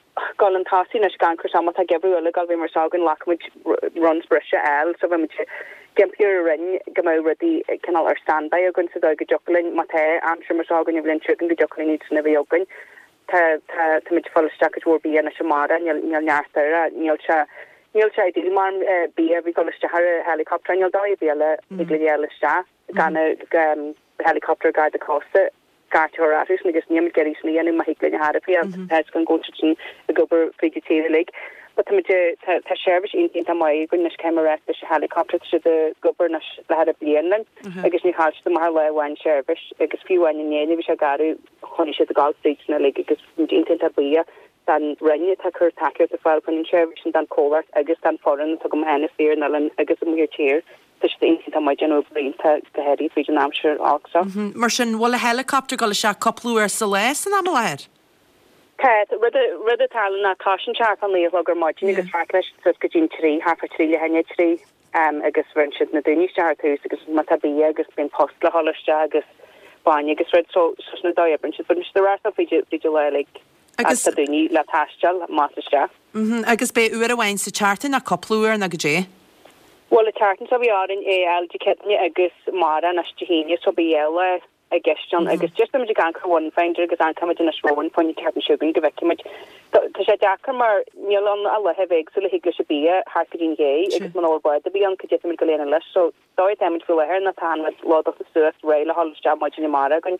dul chun tosaigh anois gan cur má tá geimhreadh eile ag dul bheith mar seo againn ghlacfaidh muid runs breise a fháil so bheidh muid ag impí ar an Roinn go mbeadh rudaí cineál ar standby againn sa dóigh go dtiocfadh linn má tá aimsir mar seo againn an bhliain seo chugainn go dtiocfadh linn iad sin a bheith againn. Tá tá tá muid ag fáil isteach cuid mhór bia anois amárach níl níl neart air níl sé níl sé ideal mar bia a bhí ag dul isteach ar helicopter níl dóigh ar bith eile thig linn a fháil isteach gan helicopter Garda Cósta scairt a chur orthusan agus níl muid ag iarraidh sin a dhéanamh má thig linn ar chor ar bith tá 'fhios againn go bhfuil siad sin ag obair fríd an tír uilig. But tá muid tá tá seirbhís iontach iontach maith againn anois caithfidh mé a rá leis an helicopter tá siad ag obair anois le thar bliain linn agus níor chaill siad amach ar lá amháin seirbhís agus fiú amháin inné nuair a bhí sé garbh choinnigh siad ag gabháil fríd sin uilig agus muid iontach iontach buíoch don Roinn atá ag cur tacaíocht ar fáil chun an tseirbhís sin don chomhlacht agus don foireann atá agam féin istigh ar an oileán agus amuigh ar tír. Tá siad iontach maith ag déanamh obair iontach go háirithe fríd an aimsir olc seo. Mar sin, bhfuil an helicopter ag dul isteach cúpla uair sa lá san am i láthair? Tá. Rud rud a tharla ná tosaíonn sé thart fá naoi a chlog ar maidin agus reáchtálann sé suas go dtí an trí, thart fá trí leath i ndiaidh a trí. agus bheireann siad na daoine isteach ar tús agus má tá bia agus bíonn post le dhul isteach agus bainne agus rud so so sin an dóigh a oibríonn siad. Bíonn siad ar ais fríd fríd an lá uilig Agus tá daoine le taisteal amach is isteach. Mhm, agus beidh uair amháin sa tseachtain nó cúpla uair nó goidé? Bhuel an tseachtain seo bhí orainn é a fháil Dé Céadaoine agus amárach anois Dé hAoine so beidh dhá lá i gceist ann agus just táimid ag amharc ar one finder agus amharcfaimid anois romhainn fá choinne an tseachtain seo chugainn go bhfeicfimid. Tá sé deacair mar níl ann ach laethe éagsúla a thig leis an bia thart go dtí'n ché agus muna bhfuil bád ar bith ann cad é táimid go léir leis so dóigh táimid faoi láthair ná tá an rud lódáilte suas réidh le dhul isteach maidin amárach againn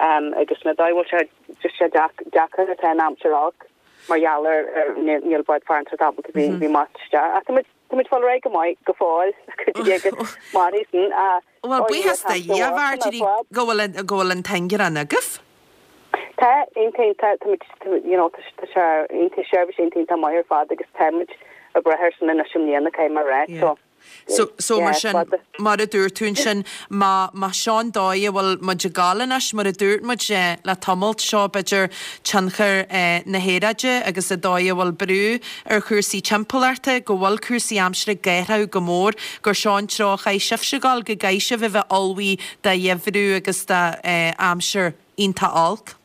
um, agus na dóigh bhfuil sé just sé deacair atá an aimsir olc mar gheall ar ar níl bád farantóireachta ábalta bhí bhí amach isteach ach táimid táimid fáil réidh go maith go fóill agus mar sin a Bhuel, buíochas do Dhia, a Mharjorie, go bhfuil an go bhfuil an t-ingear ann agaibh. Tá iontach táimid you know tá sé iontach seirbhís iontach maith ar fad agus táimid ag brath air sin anois i mbliana caithfidh mé a rá so So, so mar sin, mar a dúirt tú ansin, má, má seo an dóigh a bhfuil muid ag gabháil anois, mar a dúirt muid eh, le tamalt seo b'fhéidir tionchar eh, na haeráide agus an dóigh a bhfuil brú ar chúrsaí timpeallachta, go bhfuil cúrsaí aimsire ag athrú go mór, gur seo an treo a chaithfidh sibhse a ghabháil, go gcaithfidh sibh a bheith ullmhaithe do gheimhreadh agus do eh, aimsir iontach olc.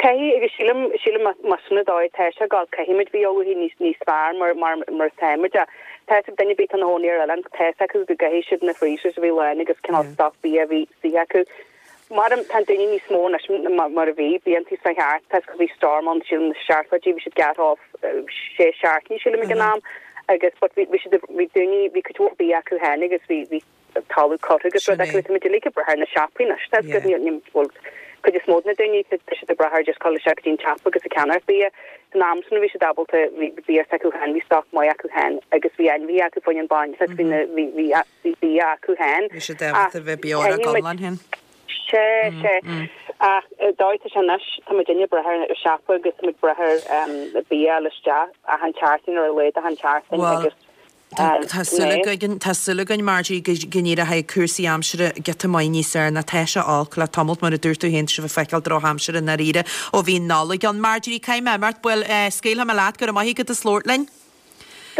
Caithfidh agus sílim sílim más sin an dóigh atá sé ag gabháil caithfimid bheith ullmhaithe níos níos fearr mar mar mar táimid a tá ag duine bit an hóí ar eile tá acu go gcaithfidh siad na freezers a bhí lán agus cineál stoc bia a bhí si acu. Mar tá daoine níos mó anois mar mar a bhí bíonn tú sa cheart tá go bhí storm ann sílim na seachtaidí bhí siad gearrtha off sé seachtainí sílim ag an am agus but bhí bhí siad bhí daoine bhí cuid mhór bia acu féin agus bhí bhí talamh curtha agus rud Sin é. acu tá muid uilig ag brath ar na siopaí anois tá Yeah. go ní bhfuil cuid is mó na daoine tá siad ag brath ar just dul isteach go dtí an siopa agus ag ceannach bia. San am sin bhí siad ábalta bhí bia acu féin bhí stoc maith acu féin agus bhí ainmhí acu faoin an bain bhí na bhí bhí bhí bia acu féin. Bhí siad ábalta bheith beo ar a gconlán féin. Sé sé ach dóigh tá sé anois tá muid ag brath ar siopa agus tá muid ag brath ar bia le isteach achan tseachtain ar a laghad achan tseachtain Well, agus Tá tá súil againn tá súil againn Marjorie go go n-éireoidh cúrsaí aimsire giota maith níos fearr ná tá sé olc le tamalt mar a dúirt tú féin sibh ag feiceáil drochaimsir i ndáiríre ó bhí Nollaig ann. Marjorie caithfidh mé imeacht bhuel scaoilfidh mé leat go raibh maith agat as labhairt linn.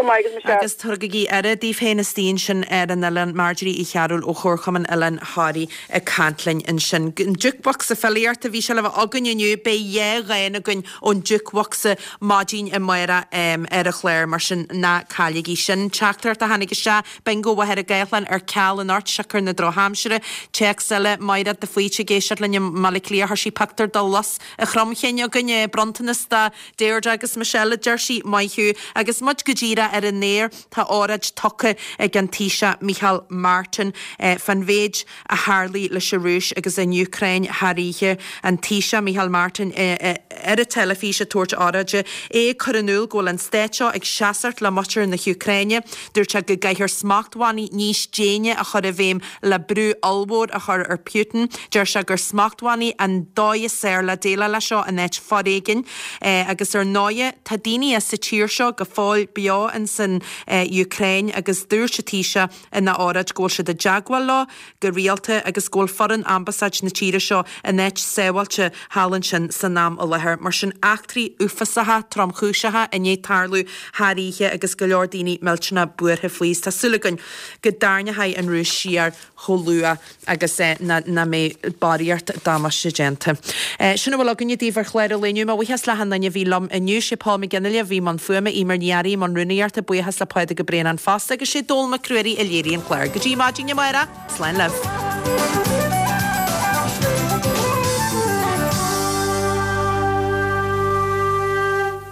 Go maith agus Michelle. Agus tugaigí aire daoibh féin istigh ansin ar an oileán Marjorie Uí Chearúil ó Chomharchumann Oileán Thoraí ag caint linn ansin. An jukebox filíochta bhí sé le bheith againn inniu beidh dhá dhán againn ón jukebox maidin amárach um, ar an chlár mar sin ná cailligí sin. Teachtaireacht a tháinig isteach bingo Mhachaire Gathlán ar ceal anocht siocair na drochaimsire. Téacs eile Máire de Faoite ag éisteacht linn i mBaile Átha Cliath chuir sí pictiúr de lus a chromchinn againn bronntanas do Deirdre agus Michelle a deir sí maith thú agus muid go díreach ar an aer tá óráid tugtha ag an Taoiseach Micheál Martin eh, fan mhéid a tharlaigh leis an Rúis agus an Úcráin thar oíche an Taoiseach Micheál Martin eh, eh, ar an teilifís ag tabhairt óráide é chur in iúl go bhfuil an stát seo ag seasamh le muintir na hÚcráine, dúirt sé go gcaithfear smachtbhannaí níos déine a chur i bhfeidhm le brú ollmhór a chur ar Putin, Deir sé gur smachtbhannaí an dóigh is fearr le déileáil leis seo in áit foréigin eh, agus ar ndóigh tá daoine sa tír seo go fóill beo in san eh, Úcráin agus dúirt an Taoiseach ina óráid go bhfuil siad i dteagmháil leo go rialta agus go bhfuil foireann ambasáid na tíre seo in áit sábháilte thall ansin san am i láthair, mar sin eachtraí uafásacha tromchúiseacha i ndiaidh tarlú thar oíche agus go leor daoine millteanach buartha faoi. Tá súil againn go dtarraingeoidh an Rúis siar chomh luath agus eh, ná ná mbeidh barraíocht damáiste déanta. Eh, sin a bhfuil againne daoibh ar chlár an lae inniu, mo bhuíochas le achan duine a bhí liom inniu sé Paul McGinley a bhí i mbun fuaime Eimear Ní Fhearraigh i mbun rúnaíochta buíochas le Pádraig Ó Braonáin fosta agus sé Dól Mac Ruairí a léirigh an clár. Go dtí maidin amárach, slán libh.